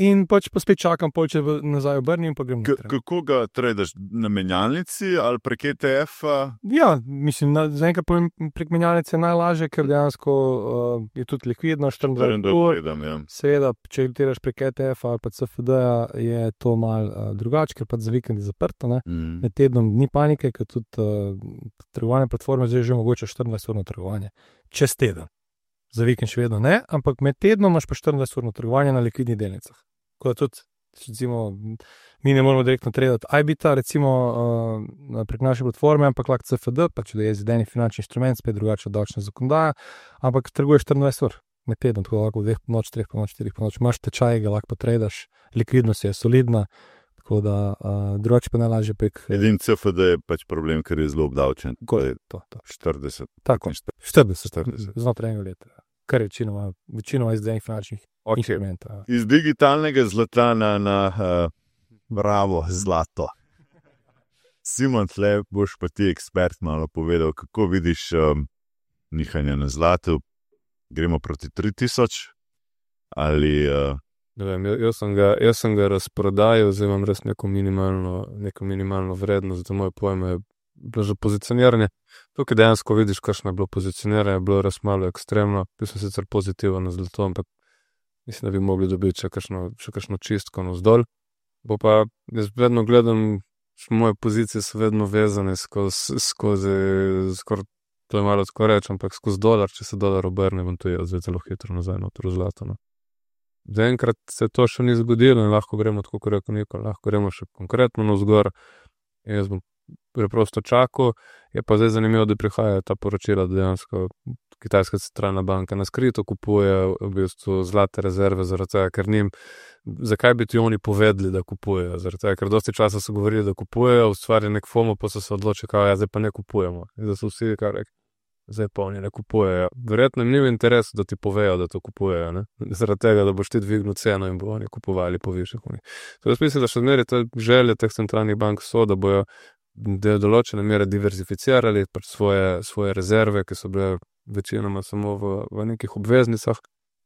B: in pač pa spet čakam, če nazaj obrnim, pa grem naprej.
A: Kako ga tradaš? Na menjalnici ali prek ETF-a?
B: Ja, mislim, zaenkrat prek menjalnice je najlažje, ker dejansko je tudi likvidno, 24 ur. Seveda, če tiraš prek ETF-a ali pa CFD-ja, je to malo drugače, ker pa za vikend je zaprto, ne. Med tednom ni panike, ker tudi trgovanje platforme zdaj že mogoče 24-urno trgovanje. Čez teden. Za vikend še vedno ne, ampak med tednom imaš pa 24-urno trgovanje na likvidnih delnicah. Tako da tudi, recimo, mi ne moramo direktno tradati IBIT-a, recimo prek naše platforme, ampak lahko CFD, pa če da je zideni finančni inštrument, spet drugače od davčne zakonodaje, ampak trguješ 24 ur med tednom, tako da lahko v 2 po noč, 3 po noč, 4 po noč, imaš tečaj, ga lahko tradaš, likvidnost je solidna, tako da drugače pa najlažje prek...
A: Edin CFD je pač problem, ker je zelo obdavčen.
B: To.
A: 40.
B: Tako, 40. Znotraj enega leta. Kar je večinoma izdenih finančnih inštrumentov.
A: Iz digitalnega zlata na bravo zlato. Simon, tle boš pa ti ekspert malo povedal, kako vidiš nihanje na zlatu. Gremo proti 3,000 ali...
C: Ne vem, jaz sem ga razprodajal, zdaj imam res neko minimalno vrednost, za moje pojme je bilo že pozicioniranje. Tukaj dejansko vidiš, kakšno je bilo pozicioniranje, je bilo res malo ekstremno, bil sem sicer pozitiven na zlato, ampak mislim, da bi mogli dobiti še kakšno čistko navzdol. Bo pa, jaz vedno gledam, moje pozicije so vedno vezane skozi skoraj, to je malo tako reč, ampak skozi dolar, če se dolar obrne, bom to je zdaj zelo hitro nazaj noter v zlato. Zaenkrat se to še ni zgodilo in lahko gremo tako, kot rekel Niko, lahko gremo še konkretno navzgor. Jaz bom preprosto čakal, je pa zdaj zanimivo, da prihajajo ta poročila, da dejansko Kitajska centralna banka na skrito kupuje v bistvu zlate rezerve, zaradi tega, ker njim, zakaj bi ti oni povedali, da kupujejo, zaradi tega, ker dosti časa so govorili, da kupujejo, ustvarili nek FOMO, pa so se odločili, ja, zdaj pa ne kupujemo. In da so vsi kar rekli, zdaj pa oni ne kupujejo. Verjetno jim ni v interesu, da ti povejo, da to kupujejo, ne? Zaradi tega, da boš ti dvignil ceno in bo oni kupovali po višjih. Jaz mislim, da še zmeraj te želje teh centralnih bank so, da bojo določene mere diverzificirali svoje rezerve, ki so bile večinoma samo v nekih obveznicah,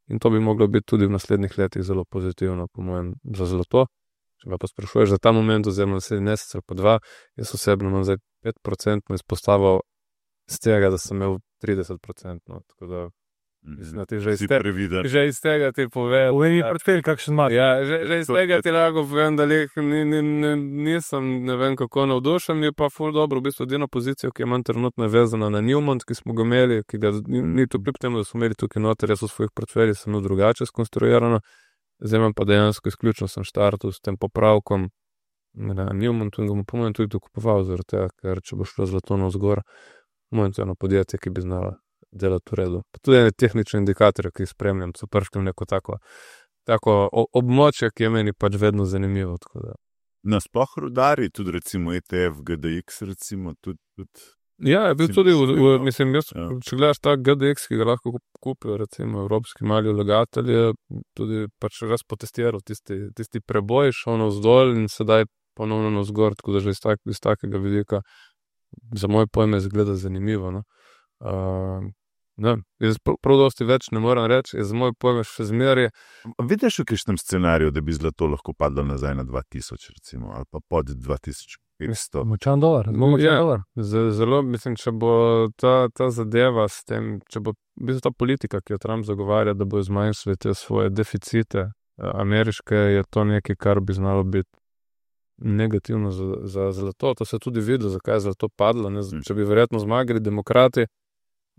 C: in to bi moglo biti tudi v naslednjih letih zelo pozitivno, po mojem, za zlato. Če pa sprašuješ za ta moment, oziroma naslednji mesec ali pa 2, jaz osebno imam zdaj 5% izpostavil z tega, da sem imel 30%, tako da mislim, da ti že iz tega ti pove.
B: Uveni portfelj, kakšen ima.
C: Ja, že iz tega ti lahko povem, da nisem ne vem kako navdušen, je pa ful dobro, v bistvu edina pozicija, ki imam trenutno vezana na Newmont, ki smo ga imeli, ki ga ni to kljub temu, da smo imeli tukaj noter, jaz v svojih portfeljih sem drugače skonstruirano, zdaj imam pa dejansko izključno sem štartal s tem popravkom na Newmontu in ga bom po mojem tudi dokupoval, zaradi tega, ker če bo šlo zlato navzgor, monetarno podjetje, ki bi znalo delati v redu. Pa tudi ene tehnične indikatorje, ki jih spremljam, so prišli v neko tako območje, ki je meni pač vedno zanimivo.
A: Nasploh rudari, tudi recimo ETF, GDX, recimo tudi.
C: Ja, je bil tudi, mislim, če gledaš ta GDX, ki ga lahko kupijo, recimo evropski mali vlagatelji, tudi pač raz potestiral tisti preboj, šel navzdol in sedaj ponovno navzgor, tako da že iz takega vidika za moje pojme zgleda zanimivo. No? Jaz prav dosti več ne moram reči, za moje pojme še zmeraj.
A: Vidiš v kakšnem scenariju, da bi zlato lahko padlo nazaj na 2000, recimo, ali pa pod 2500?
B: Močan dolar, dolar.
C: Zelo, mislim, če bo ta zadeva s tem, če bo ta politika, ki jo Trump zagovarja, da bo zmanjšali te svoje deficite ameriške, je to nekaj, kar bi znalo biti negativno za zlato. To se tudi vidi, zakaj je zlato padlo. Če bi verjetno zmagali demokrati,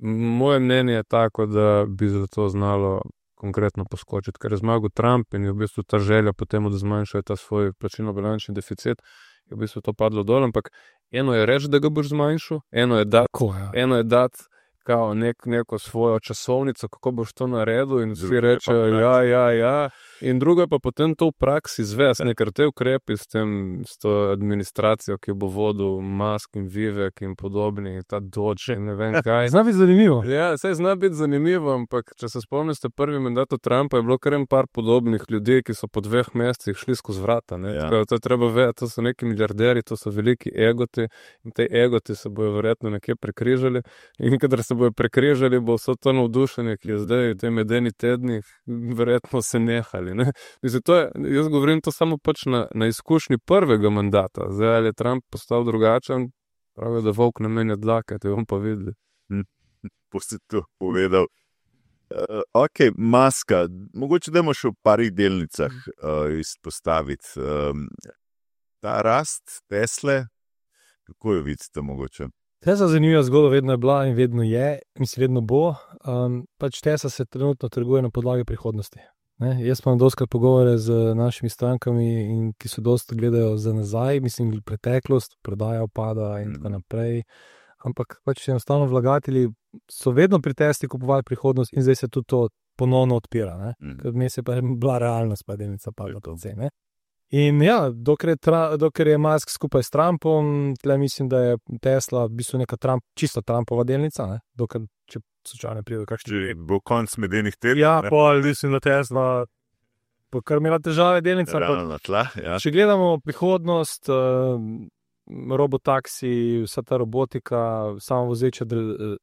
C: moje mnenje je tako, da bi zlato znalo konkretno poskočiti, ker je zmagal Trump in je v bistvu ta želja potem, da zmanjšajo ta svoj plačilno-bilančni deficit, je v bistvu to padlo dol, ampak eno je reči, da ga boš zmanjšal, eno je dati kao neko svojo časovnico, kako boš to naredil in vsi rečejo, ja. In drugo je pa potem to v praksi izvesti, ker te ukrepi s to administracijo, ki bo vodil Musk in Vivek in podobni, ta Doge in ne vem kaj.
B: Zna biti zanimivo.
C: Ja, saj zna biti zanimivo, ampak če se spomnite prvi mandat Trumpa, je bilo kar en par podobnih ljudi, ki so po 2 mesecih šli skozi vrata. Ja. To je treba vedeti, to so neki milijarderi, to so veliki egoti in te egoti se bojo verjetno nekje prekrižali in kadar se bojo prekrižali, bo vso to navdušenje, ki je zdaj v tem medeni tednih, verjetno se nehali. Ne? Mislim, jaz govorim to samo pač na izkušnji prvega mandata. Zdaj, ali je Trump postal drugačen, pravijo, da volk ne menja dlake, te bom pa videli.
A: Si to povedal. Ok, Muska, mogoče dajmo še v parih delnicah izpostaviti. Ta rast Tesle, kako jo vidite mogoče?
B: Tesla zanimiva zgodba vedno je bila in vedno je, mislim, vedno bo. Pač Tesla se trenutno trguje na podlagi prihodnosti. Jaz pa imam doskrat pogovore z našimi strankami, ki so dosti gledajo za nazaj, mislim, preteklost, prodaja upada in tako naprej. Ampak pač enostavno vlagatelji so vedno pri Tesli kupovali prihodnost in zdaj se tudi to ponovno odpira. Ker vmes je pa bila realnost, pa delnica padla to cene. In ja, dokler je Musk skupaj s Trumpom, tle mislim, da je Tesla v bistvu neka čisto Trumpova delnica, dokler, če slučajno pride do kakšnih...
A: Če bo konc medenih tednih.
B: Ja, pol, mislim, da Tesla bo kar imela težave delnica.
A: Na tla, ja.
B: Če gledamo prihodnost, robotaksi, vsa ta robotika, samovozeča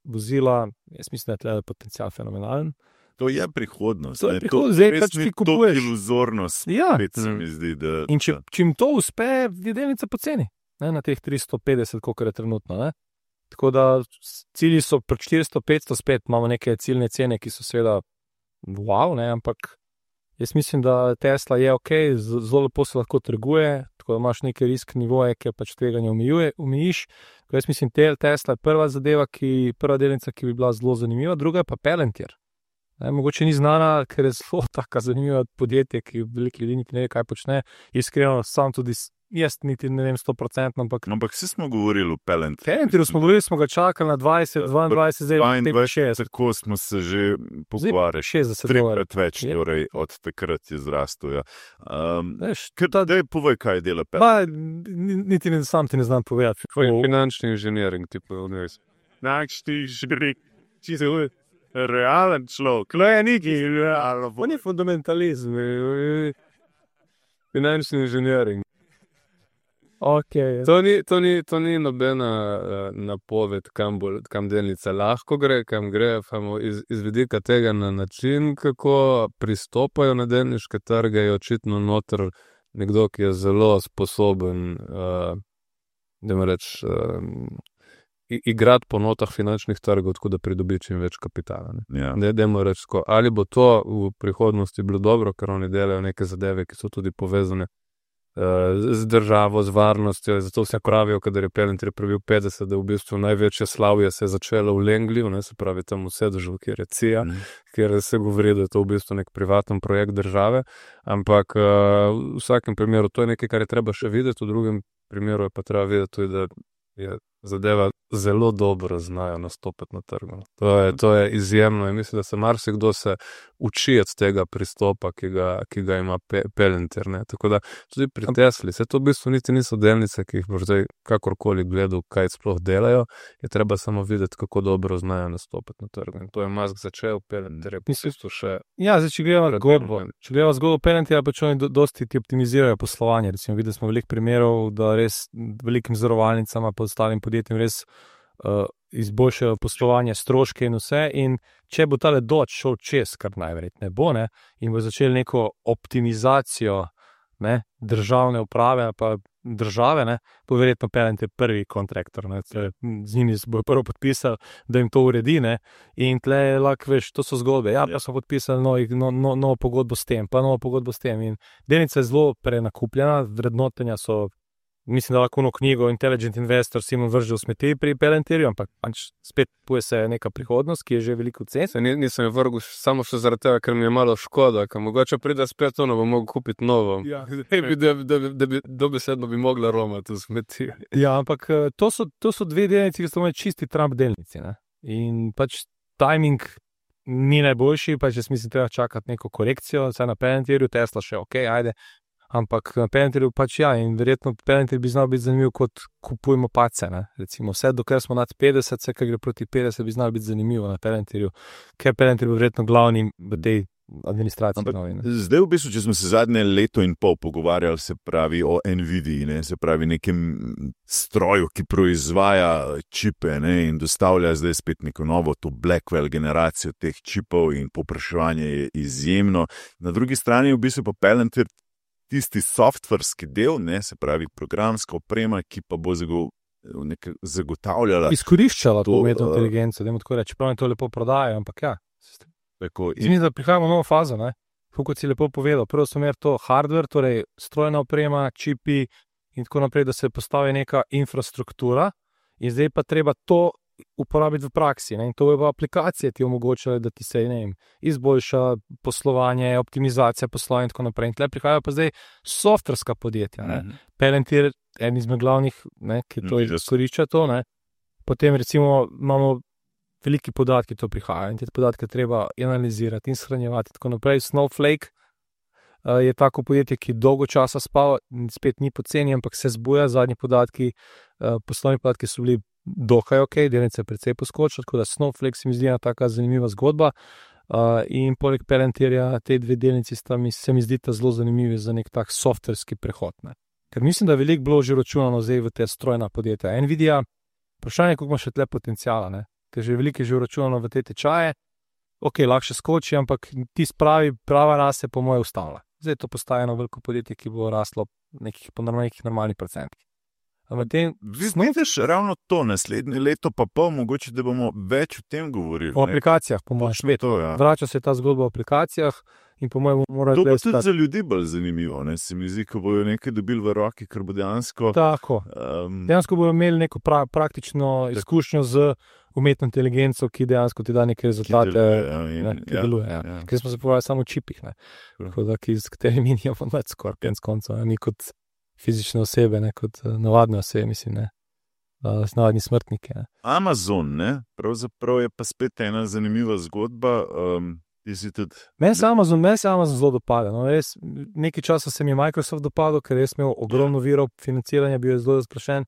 B: vozila, jaz mislim, da je tle potencial fenomenalen.
A: To je prihodnost.
B: To je prihodnost, zdaj pač ti kupuješ.
A: To je iluzornost, spet se mi zdi, da...
B: In če jim to uspe, je delnica poceni, na teh 350, koliko je trenutno. Tako da cilji so pri 400-500, spet imamo neke ciljne cene, ki so seveda wow, ampak jaz mislim, da Tesla je ok, zelo lepo se lahko trguje, tako da imaš neke risk nivoje, ki pač tveganje omejiš. Jaz mislim, Tesla je prva delnica, ki bi bila zelo zanimiva, druga je pa Palantir. Mogoče ni znana, ker je zelo taka zanimiva podjetje, ki veliko ljudi niti ne ve, kaj počne. Iskreno, sam tudi jaz niti ne vem 100%, ampak...
A: Ampak vsi smo govorili o Palantiru.
B: Palantiru smo govorili, smo ga čakali na 20, 22, zdaj 60.
A: Tako smo se že pogovarjali.
B: 60
A: trikrat več, torej od takrat je zrastel. Daj povej, kaj dela Palantir.
B: Niti sam ti ne znam povedati.
C: Finančni inženiring, tipo univerz.
B: Finančni inženiring, čisto realen človek. No je neki, on je fundamentalizm.
C: Finančni inženiring.
B: Okay.
C: To ni nobena napoved, kam delnica lahko gre, kam gre, iz vidika tega na način, kako pristopajo na delniške trge, je očitno noter nekdo, ki je zelo sposoben, da me reč, igrati po notah finančnih trgov, tako da pridobi čim več kapitala. Reč, ali bo to v prihodnosti bilo dobro, ker oni delajo neke zadeve, ki so tudi povezane z državo, z varnostjo, zato vse pravijo, kadar je Palantir prebil 50, da v bistvu največje slavje se je začelo v Langleyju, se pravi tam v sedežu, kjer je CIA, kjer se govori, da je to v bistvu nek privaten projekt države, ampak v vsakem primeru to je nekaj, kar je treba še videti, v drugem primeru je pa treba videti tudi, da je zadeva zelo dobro znajo nastopiti na trgu. To je izjemno in mislim, da se marsikdo se uči od tega pristopa, ki ga ima Palantir. Tako da tudi pri Tesli, se to v bistvu niti niso delnice, ki jih boš zdaj kakorkoli gledal, kaj sploh delajo, je treba samo videti, kako dobro znajo nastopiti na trgu. In to je Musk začel, Palantir je v bistvu še...
B: Ja, zdaj, če gledamo zgodbo Palantira, pač oni dosti ti optimizirajo poslovanje. Recimo, videli smo veliko primerov, da res velikim zavarovalnicama pa ostalim podjetjem res izboljšajo poslovanje, stroške in vse. In če bo tale Dodge šel čez, kar najverjetneje bo, ne, in bo začel neko optimizacijo, ne, državne uprave pa države, ne, bo verjetno Palantir prvi kontraktor. Z njimi se bojo prvo podpisali, da jim to uredi. Ne, in tle lahko veš, to so zgodbe. Ja, smo podpisali novo pogodbo s tem, pa novo pogodbo s tem. In delnica je zelo prenakupljena, vrednotenja so. Mislim, da lahko eno knjigo Intelligent Investor Simon vrže v smeti pri Palantirju, ampak spet poje se neka prihodnost, ki je že veliko cen.
C: Nisem jo vrgel samo še zaradi tega, ker mi je malo škoda, ker mogoče pride spet ono, bo mogel kupiti novo. Ja. Da bi dobesedno bi mogla romati v smeti.
B: Ja, ampak to so dve delnici, ki so imeli čisti Trump delnici. Ne? In pač timing ni najboljši, pač jaz mislim, treba čakati neko korekcijo, saj na Palantirju, Tesla še ok, ajde. Ampak na Palantirju pač ja, in verjetno Palantir bi znal biti zanimiv kot kupujemo pace, ne. Recimo vse, dokler smo nad 50, vse, kar gre proti 50, bi znal biti zanimivo na Palantirju, ker Palantir bo verjetno glavni v tej administraciji.
A: Zdaj v bistvu, če smo se zadnje leto in pol pogovarjali, se pravi o Nvidii, ne, se pravi nekem stroju, ki proizvaja čipe, ne, in dostavlja zdaj spet neko novo, to Blackwell generacijo teh čipov in povpraševanje je izjemno. Na drugi strani v bistvu pa Palantir tisti softverski del, ne, se pravi programska oprema, ki pa bo zagotavljala...
B: Izkoriščala to umetno inteligenco, da tako reči, čeprav to lepo prodajajo, ampak ja. Mislim, da prihajamo v novo fazo, ne. Kot si lepo povedal, prvo so imeli to hardware, torej strojna oprema, čipi in tako naprej, da se postavi neka infrastruktura in zdaj pa treba to uporabiti v praksi. Ne? In to je pa aplikacije ti omogočale, da ti se izboljša poslovanje, optimizacija poslovanja in tako naprej. In tle prihajajo pa zdaj softverska podjetja. Palantir je en izmed glavnih, ne, ki to izkorišča to. Ne? Potem recimo imamo veliki podatki, to prihajajo in te podatke treba analizirati in shranjevati in tako naprej. Snowflake je tako podjetje, ki dolgo časa spava, spet ni poceni, ampak se zbuja. Zadnji podatki, poslovni podatki so bili dokaj ok, delnice je precej poskočila, tako da Snowflake se mi zdi ena taka zanimiva zgodba in poleg Palantirja te dve delnici se mi zdita zelo zanimivi za nek tak softverski prehod. Ne. Ker mislim, da je veliko bilo že računano zdaj v te strojna podjetja. Nvidia, vprašanje, koliko ima še tle potencijala, ne. Ker že veliko je že računano v te tečaje, ok, lahko še skoči, ampak ti prava rast je po moje ustavila. Zdaj to postaje eno veliko podjetje, ki bo raslo po nekih normalnih procentih.
A: Vidiš ravno to naslednje leto, pa mogoče, da bomo več o tem govorili.
B: O aplikacijah, po mojem, svet.
A: Ja.
B: Vrača se ta zgodba o aplikacijah in po mojem morajo...
A: To bo tudi za ljudi bolj zanimivo, ne? Se mi zdi, ko bojo nekaj dobili v roki, ker bo dejansko...
B: Tako. Dejansko bojo imeli neko praktično izkušnjo z umetno inteligenco, ki dejansko ti da neke rezultate, ki deluje. Ja. Ker smo se pogovarjali samo o čipih, ne? S katerimi nimamo več skoraj konec koncev, mi kot fizične osebe, ne, kot navadne osebe, mislim, ne, navadni smrtniki. Ne.
A: Amazon, ne, pravzaprav je pa spet ena zanimiva zgodba.
B: Meni se Amazon zelo dopada. No, res, nekaj časa se mi je Microsoft dopadal, ker res imel ogromno virov financiranja, bil je zelo razprašen.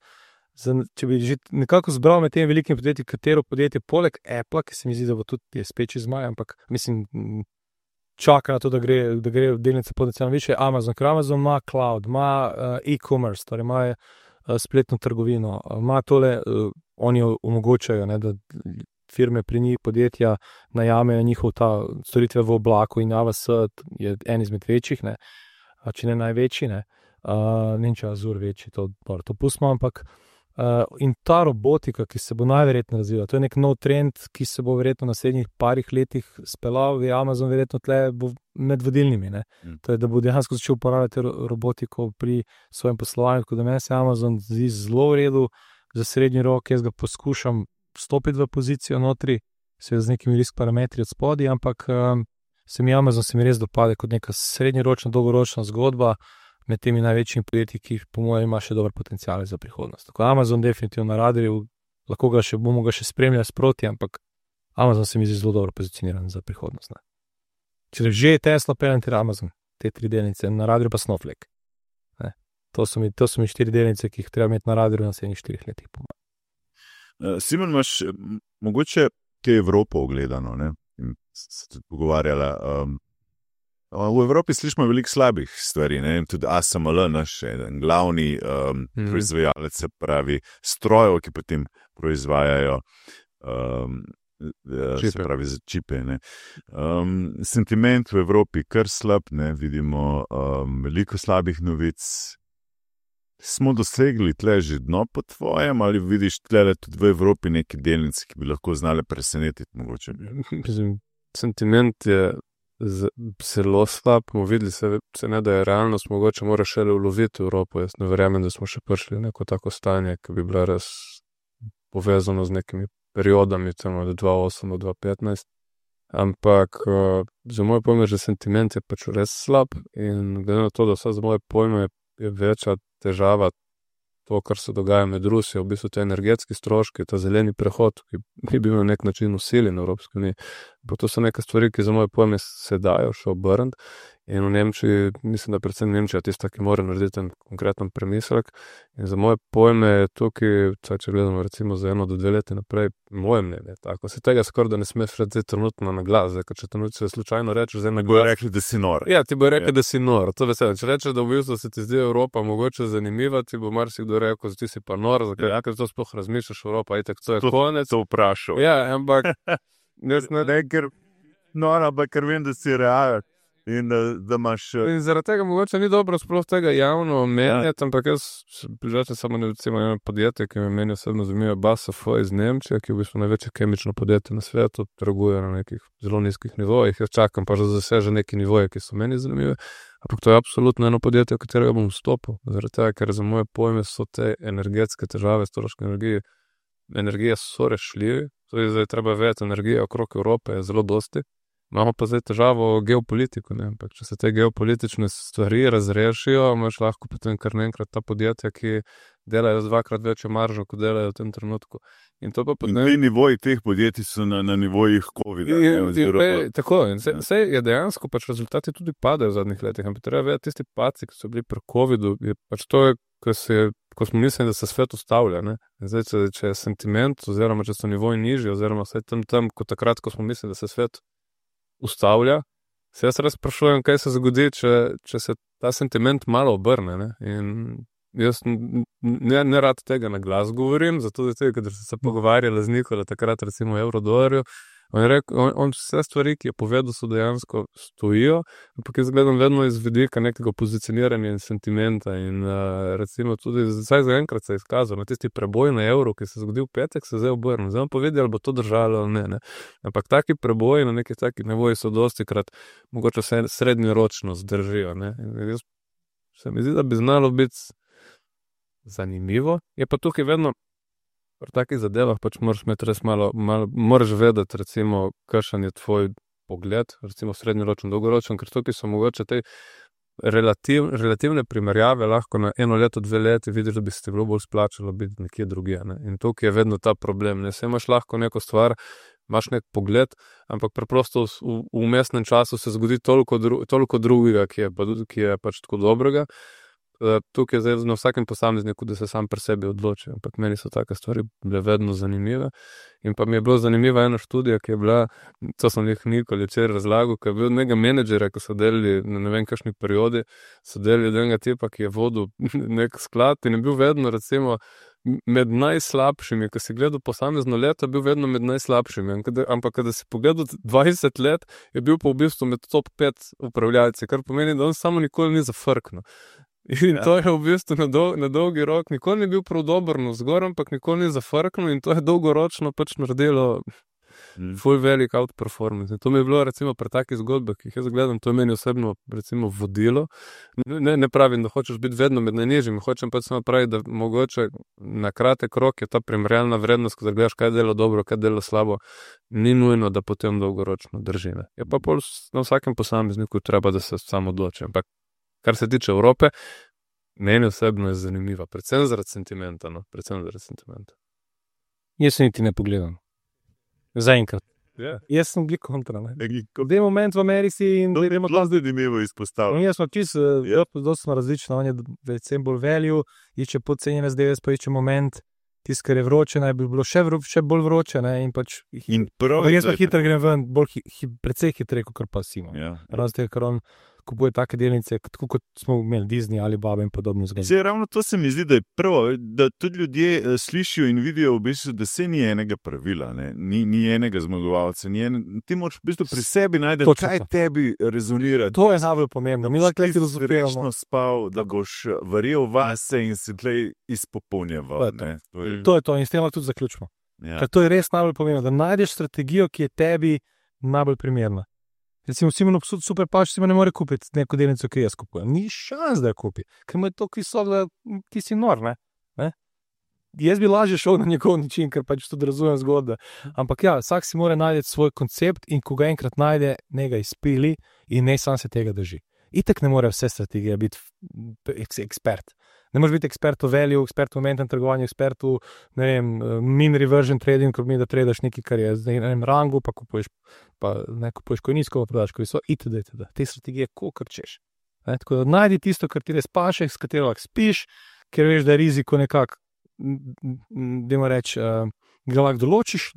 B: Če bi že nekako zbral med temi velikimi podjetji, katero podjetje poleg Apple, ki se mi zdi, da bo tudi spet čez maj, ampak mislim, čaka na to, da gre delnice potencialno više. Amazon, ker Amazon ima cloud, ima e-commerce, torej ima spletno trgovino, ima tole, oni omogočajo, ne, da firme pri njih, podjetja najamejo njihov ta storitve v oblaku in AWS je en izmed večjih, ne, če ne največji, ne, če Azure večji, to pustimo, ampak in ta robotika, ki se bo najverjetno razvila, to je nek nov trend, ki se bo verjetno v naslednjih parih letih speljal, je Amazon verjetno tle bo med vodilnimi, ne. To je, da bo dejansko začel uporabljati robotiko pri svojem poslovanju, tako da meni se Amazon zdi zelo v redu za srednji rok, jaz ga poskušam vstopiti v pozicijo notri, seveda z nekimi risk parametri od spodaj, ampak Amazon se mi res dopade kot neka srednjeročna, dolgoročna zgodba med temi največjimi podjetji, ki po mojem ima še dober potencial za prihodnost. Tako Amazon definitivno na radarju, lahko bomo ga še spremljali sproti, ampak Amazon se mi zdi zelo dobro pozicioniran za prihodnost. Ne. Če že je Tesla, Palantir, Amazon, te 3 delnice, na radiju pa Snowflake. Ne. To so mi 4 delnice, ki jih treba imeti na radiju na 4 letih.
A: Simon, imaš mogoče te Evropo ogledano, ne? In se tudi pogovarjala. V Evropi slišimo veliko slabih stvari, ne? Tudi ASML, naš glavni proizvajalec, se pravi strojev, ki potem proizvajajo se pravi za čipe. Ne? Sentiment v Evropi kar slab, ne? Vidimo veliko slabih novic. Smo dosegli tle že dno po tvojem, ali vidiš tle tudi v Evropi neke delnice, ki bi lahko znale presenetiti mogoče?
C: Sentiment je zelo slab, bomo videli se ne, da je realnost, mogoče mora šele uloviti Evropo. Jaz ne verjamem, da smo še prišli v neko tako stanje, ki bi bila res povezano z nekimi periodami, temo od 2008 do 2015. Ampak za moje pojme, že sentiment je pač res slab in glede na to, da vse za moje pojme je večja težava to, kar se dogaja med Rusijo, v bistvu te energetski stroški, ta zeleni prehod, ki bi bil na nek način usiljen v Evropski uniji. To so neke stvari, ki za moje pojme se dajo še obrniti. In v Nemčiji, mislim, da predvsem Nemčija tista, ki mora narediti ten konkreten premislek. In za moje pojme je tukaj, če gledamo recimo za 1 do 2 leti naprej, moje mnenje tako. Se tega skoraj da ne smeš reči trenutno na glas, ker če trenutno slučajno rečeš na glas.
A: Bojo rekli, da si nor.
C: Ja, ti bo rekli, da si nor. To veselo. Če rečeš, da v bistvu se ti zdi Evropa mogoče zanimiva, ti bo marsikdo rekel, da ti si pa nor, ker to sploh razmišljaš Evropa, itak to je konec.
A: To vprašal.
C: Ja, ampak
A: ker vem, da si realen. In da imaš.
C: In zaradi tega mogoče ni dobro sploh tega javno omenjati, ampak jaz prižačam samo eno podjetje, ki me meni osebno zanimivo, BASF iz Nemčije, ki je v bistvu največje kemično podjetje na svetu, trguje na nekih zelo nizkih nivojih. Jaz čakam pa že zaseže neki nivoje, ki so meni zanimive. Ampak to je absolutno eno podjetje, v katerega bom vstopil. Zaradi tega, ker za moje pojme so te energetske težave, stroške energije so rešljivi. To je zdaj treba vedeti, energija okrog Evrope je zelo dosti. Imamo pa zdaj težavo geopolitiko, ne? Ampak če se te geopolitične stvari razrešijo, imaš lahko potem kar naenkrat ta podjetja, ki delajo z 2-krat večjo maržo, kot delajo v tem trenutku. In to pa
A: potem... In nivoji teh podjetij so na nivojih COVID-a.
C: Tako, in vse je dejansko, pač rezultati tudi padajo v zadnjih letih, ampak treba vedeti, tisti padci, ki so bili pri COVID-u, je pač to, ko smo mislili, da se svet ustavlja, ne? Zdaj, če je sentiment, oziroma če so nivoji nižji, oziroma vse tam, kot takrat, ko smo mislili, da se svet ustavlja, se jaz res sprašujem, kaj se zgodi, če se ta sentiment malo obrne, ne? In jaz ne rad tega na glas govorim, zato da ker se pogovarjala z Nikola takrat recimo o evrodolarju, on je rekel, on vse stvari, ki je povedal, so dejansko stojijo, ampak jaz gledam vedno iz vidika nekega pozicioniranja in sentimenta in recimo tudi, zdaj za enkrat se je izkazal, na tisti preboj na evro, ki se je zgodil v petek, se zdaj obrnil. Zdaj vam povedal, ali bo to držalo ali ne. Ampak taki preboji na nekih takih nivoji so dostikrat mogoče srednjeročno zdržijo, ne. In jaz se mi zdi, da bi znalo biti zanimivo. Je pa tukaj vedno pri takih zadevah pač moraš imeti res malo moraš vedeti, recimo, kakšen je tvoj pogled, recimo srednjeročen, dolgoročen, ker tukaj so mogoče te relativne primerjave, lahko na 1 leto, 2 leti vidiš, da bi se ti bilo bolj splačalo biti nekje drugje, ne. In tukaj je vedno ta problem, ne. Saj imaš lahko neko stvar, imaš nek pogled, ampak preprosto v vmesnem času se zgodi toliko drugega, ki je pač tako dobrega. Tukaj je zdaj na vsakem posamezniku, da se sam pri sebi odloči, ampak meni so take stvari bile vedno zanimive. In pa mi je bilo zanimiva ena študija, ki je bila, to sem jih Nikoli včeraj razlagal, ki je bil nekega menedžera, ko so delali na ne vem kakšni periodi, so delali od enega tipa, ki je vodil nek sklad in je bil vedno recimo med najslabšimi, ko si gledal posamezno leto, bil vedno med najslabšimi, ampak kada si pogledal 20 let, je bil pa v bistvu med top 5 upravljalci, kar pomeni, da on samo nikoli ni zafrknil. In to je v bistvu na dolgi rok nikoli ni bil prav dober navzgor, ampak nikoli ni zafrknil in to je dolgoročno pač naredilo ful velik outperformance. In to mi je bilo recimo pri takih zgodbah, ki jih jaz gledam, to je meni osebno recimo vodilo. Ne pravim, da hočeš biti vedno med najnižjimi, hočem pač samo praviti, da mogoče na kratek rok je ta primerjalna vrednost, ko gledaš, kaj dela dobro, kaj dela slabo, ni nujno, da potem dolgoročno drži. Je pa pol na vsakem posamezniku treba, da se samo odloči. Ampak kar se tiče Evrope, meni osebno je zanimiva, predvsem zaradi sentimenta, no, predvsem zaradi sentimenta.
B: Jaz se niti ne pogledam. Zaenkrat.
C: Ja.
B: Jaz sem bil kontra. Ne.
A: Ko-
B: V tem momentu v Ameriki in
A: To je
B: gremo
A: zelo zanimivo izpostavljeno.
B: Jaz smo čisto dosti različni, on je predvsem bolj value, išče podcenjene zdaj, pa išče moment, tisto, kar je vroče, naj bi bilo še bolj vroče. Ne, in pač,
A: In prav
B: jaz pa hitro grem ven, precej hitreje, kot pa Simon.
A: Ja.
B: Razen tega, ker on kupuje take delnice, tako kot smo imeli Disney ali Baba in podobno zgodbo.
A: Zdaj, ravno to se mi zdi, da je prvo, da tudi ljudje slišijo in vidijo, v bistvu, da se ni enega pravila, ne? Ni enega zmagovalca. Ti moraš v bistvu pri sebi najti, kaj tebi rezonira.
B: To je najbolj pomembno. Mi lahko
A: ti
B: razumemo.
A: resno spal, da boš verjel vase in se tlej izpopolnjeval.
B: To je to in s tem lahko tudi zaključimo.
A: Ja.
B: Ker to je res najbolj pomembno, da najdeš strategijo, ki je tebi najbolj primerna. Recimo, Simon super pač si ne more kupiti neko delnico, ki jaz kupujem. Ni šans, da jo kupi, ker mu je to visok, da ti si nor. Ne? Jaz bi lažje šel na njegov način, ker pač tudi razumem zgodbe. Ampak ja, vsak si mora najti svoj koncept in ko ga enkrat najde, ne ga izpili in ne sam se tega drži. Itek ne more vse strategije biti ekspert. Ne moreš biti ekspert v value, ekspert v momentnem trgovanju, ekspert v min reversion trading, ko mi da tradaš nekaj, kar je zdaj na enem rangu, pa kupuješ ko nizko, pa prodaš ko visoko, itd. Te strategije kolikor češ. Tako da najdi tisto, kar ti res paše, s katero lahko spiš, ker veš, da je riziko nekako, dajmo reči, ga lahko določiš,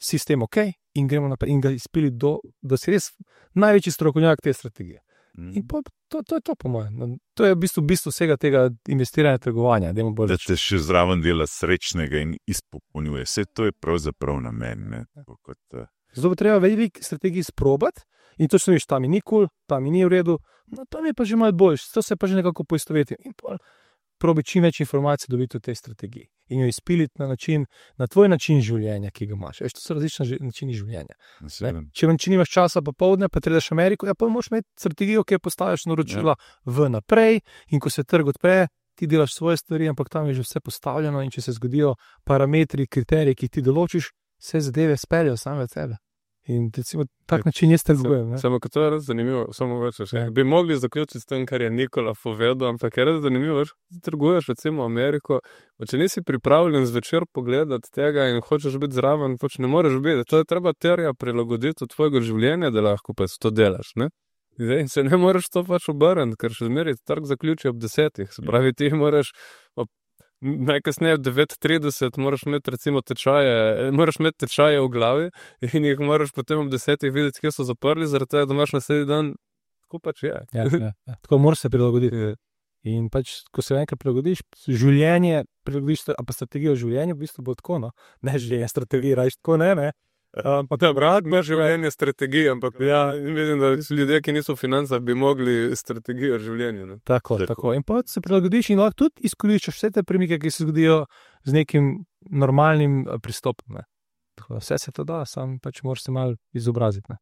B: sistem ok in gremo naprej in ga izpili da si res največji strokovnjak te strategije. In to je to, po mojem. To je v bistvu vsega tega investiranja, trgovanja.
A: Da te še zraven dela srečnega in izpopolnjuje. Vse to je pravzaprav namen.
B: Zato treba veliko strategij sprobati in točno veš, tam mi ni kul, tam mi ni v redu, no tam je pa že malo boljš, to se pa že nekako poistoveti. In probi čim več informacij dobiti o tej strategiji in jo izpiliti na tvoj način življenja, ki ga imaš. Veš, to so različni načini življenja. Če nimaš časa popoldne, pa tredaš Ameriko, pa moraš imeti strategijo, ki jo postaviš naročila vnaprej in ko se trg odpre, ti delaš svoje stvari, ampak tam je že vse postavljeno in če se zgodijo parametri, kriteriji, ki ti določiš, vse zadeve speljajo same od sebe. In recimo, tak način jaz trgujem.
C: Samo kot to je res zanimivo, samo več. Bi mogli zaključiti s tem, kar je Nikola povedal, ampak je res zanimivo, da trguješ recimo Ameriko, pa če nisi pripravljen zvečer pogledati tega in hočeš biti zraven, pač ne moreš biti. To je treba terja prilagoditi od tvojega življenja, da lahko pač to delaš, ne? Zdaj, se ne moreš to pač obrniti, ker še zmeraj trg zaključi ob 10. Se pravi, ti moraš najkasneje v 9:30 moraš imeti recimo tečaje v glavi in jih moraš potem ob 10 videti, kje so zaprli, zaradi tega, da imaš naslednji dan, tako pač je.
B: Ja. Tako moraš se prilagoditi. In pač, ko se enkrat prilagodiš, življenje prilagodiš, a pa strategijo življenja v bistvu bo tako, no. Ne življenje, strategija, rajš tako, ne.
C: Pa te rad imaš življenje strategije, ampak ja, vidim, da ljudje, ki niso v financah, bi mogli strategijo življenja. Ne?
B: Tako. In pa se prilagodiš in lahko tudi izkoriščaš vse te premike, ki se zgodijo z nekim normalnim pristopom. Vse se to da, sam pač moraš se malo izobraziti.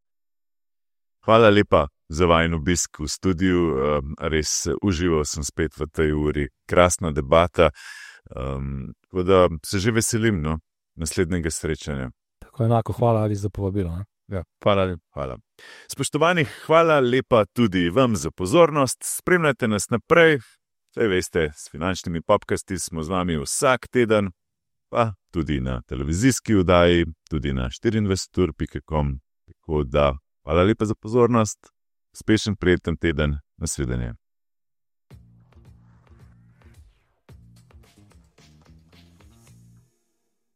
A: Hvala lepa za vajen obisk v studiu. Res užival sem spet v tej uri. Krasna debata. Tako da se že veselim naslednjega srečanja.
B: Enako, hvala Ali za povabilo.
C: Ja, hvala.
A: Spoštovani, hvala lepa tudi vam za pozornost. Spremljajte nas naprej. Saj veste, s finančnimi popkasti smo z vami vsak teden, pa tudi na televizijski oddaji, tudi na 24ur.com. Tako da, hvala lepa za pozornost. Uspešen, prijeten teden. Nasvidenje.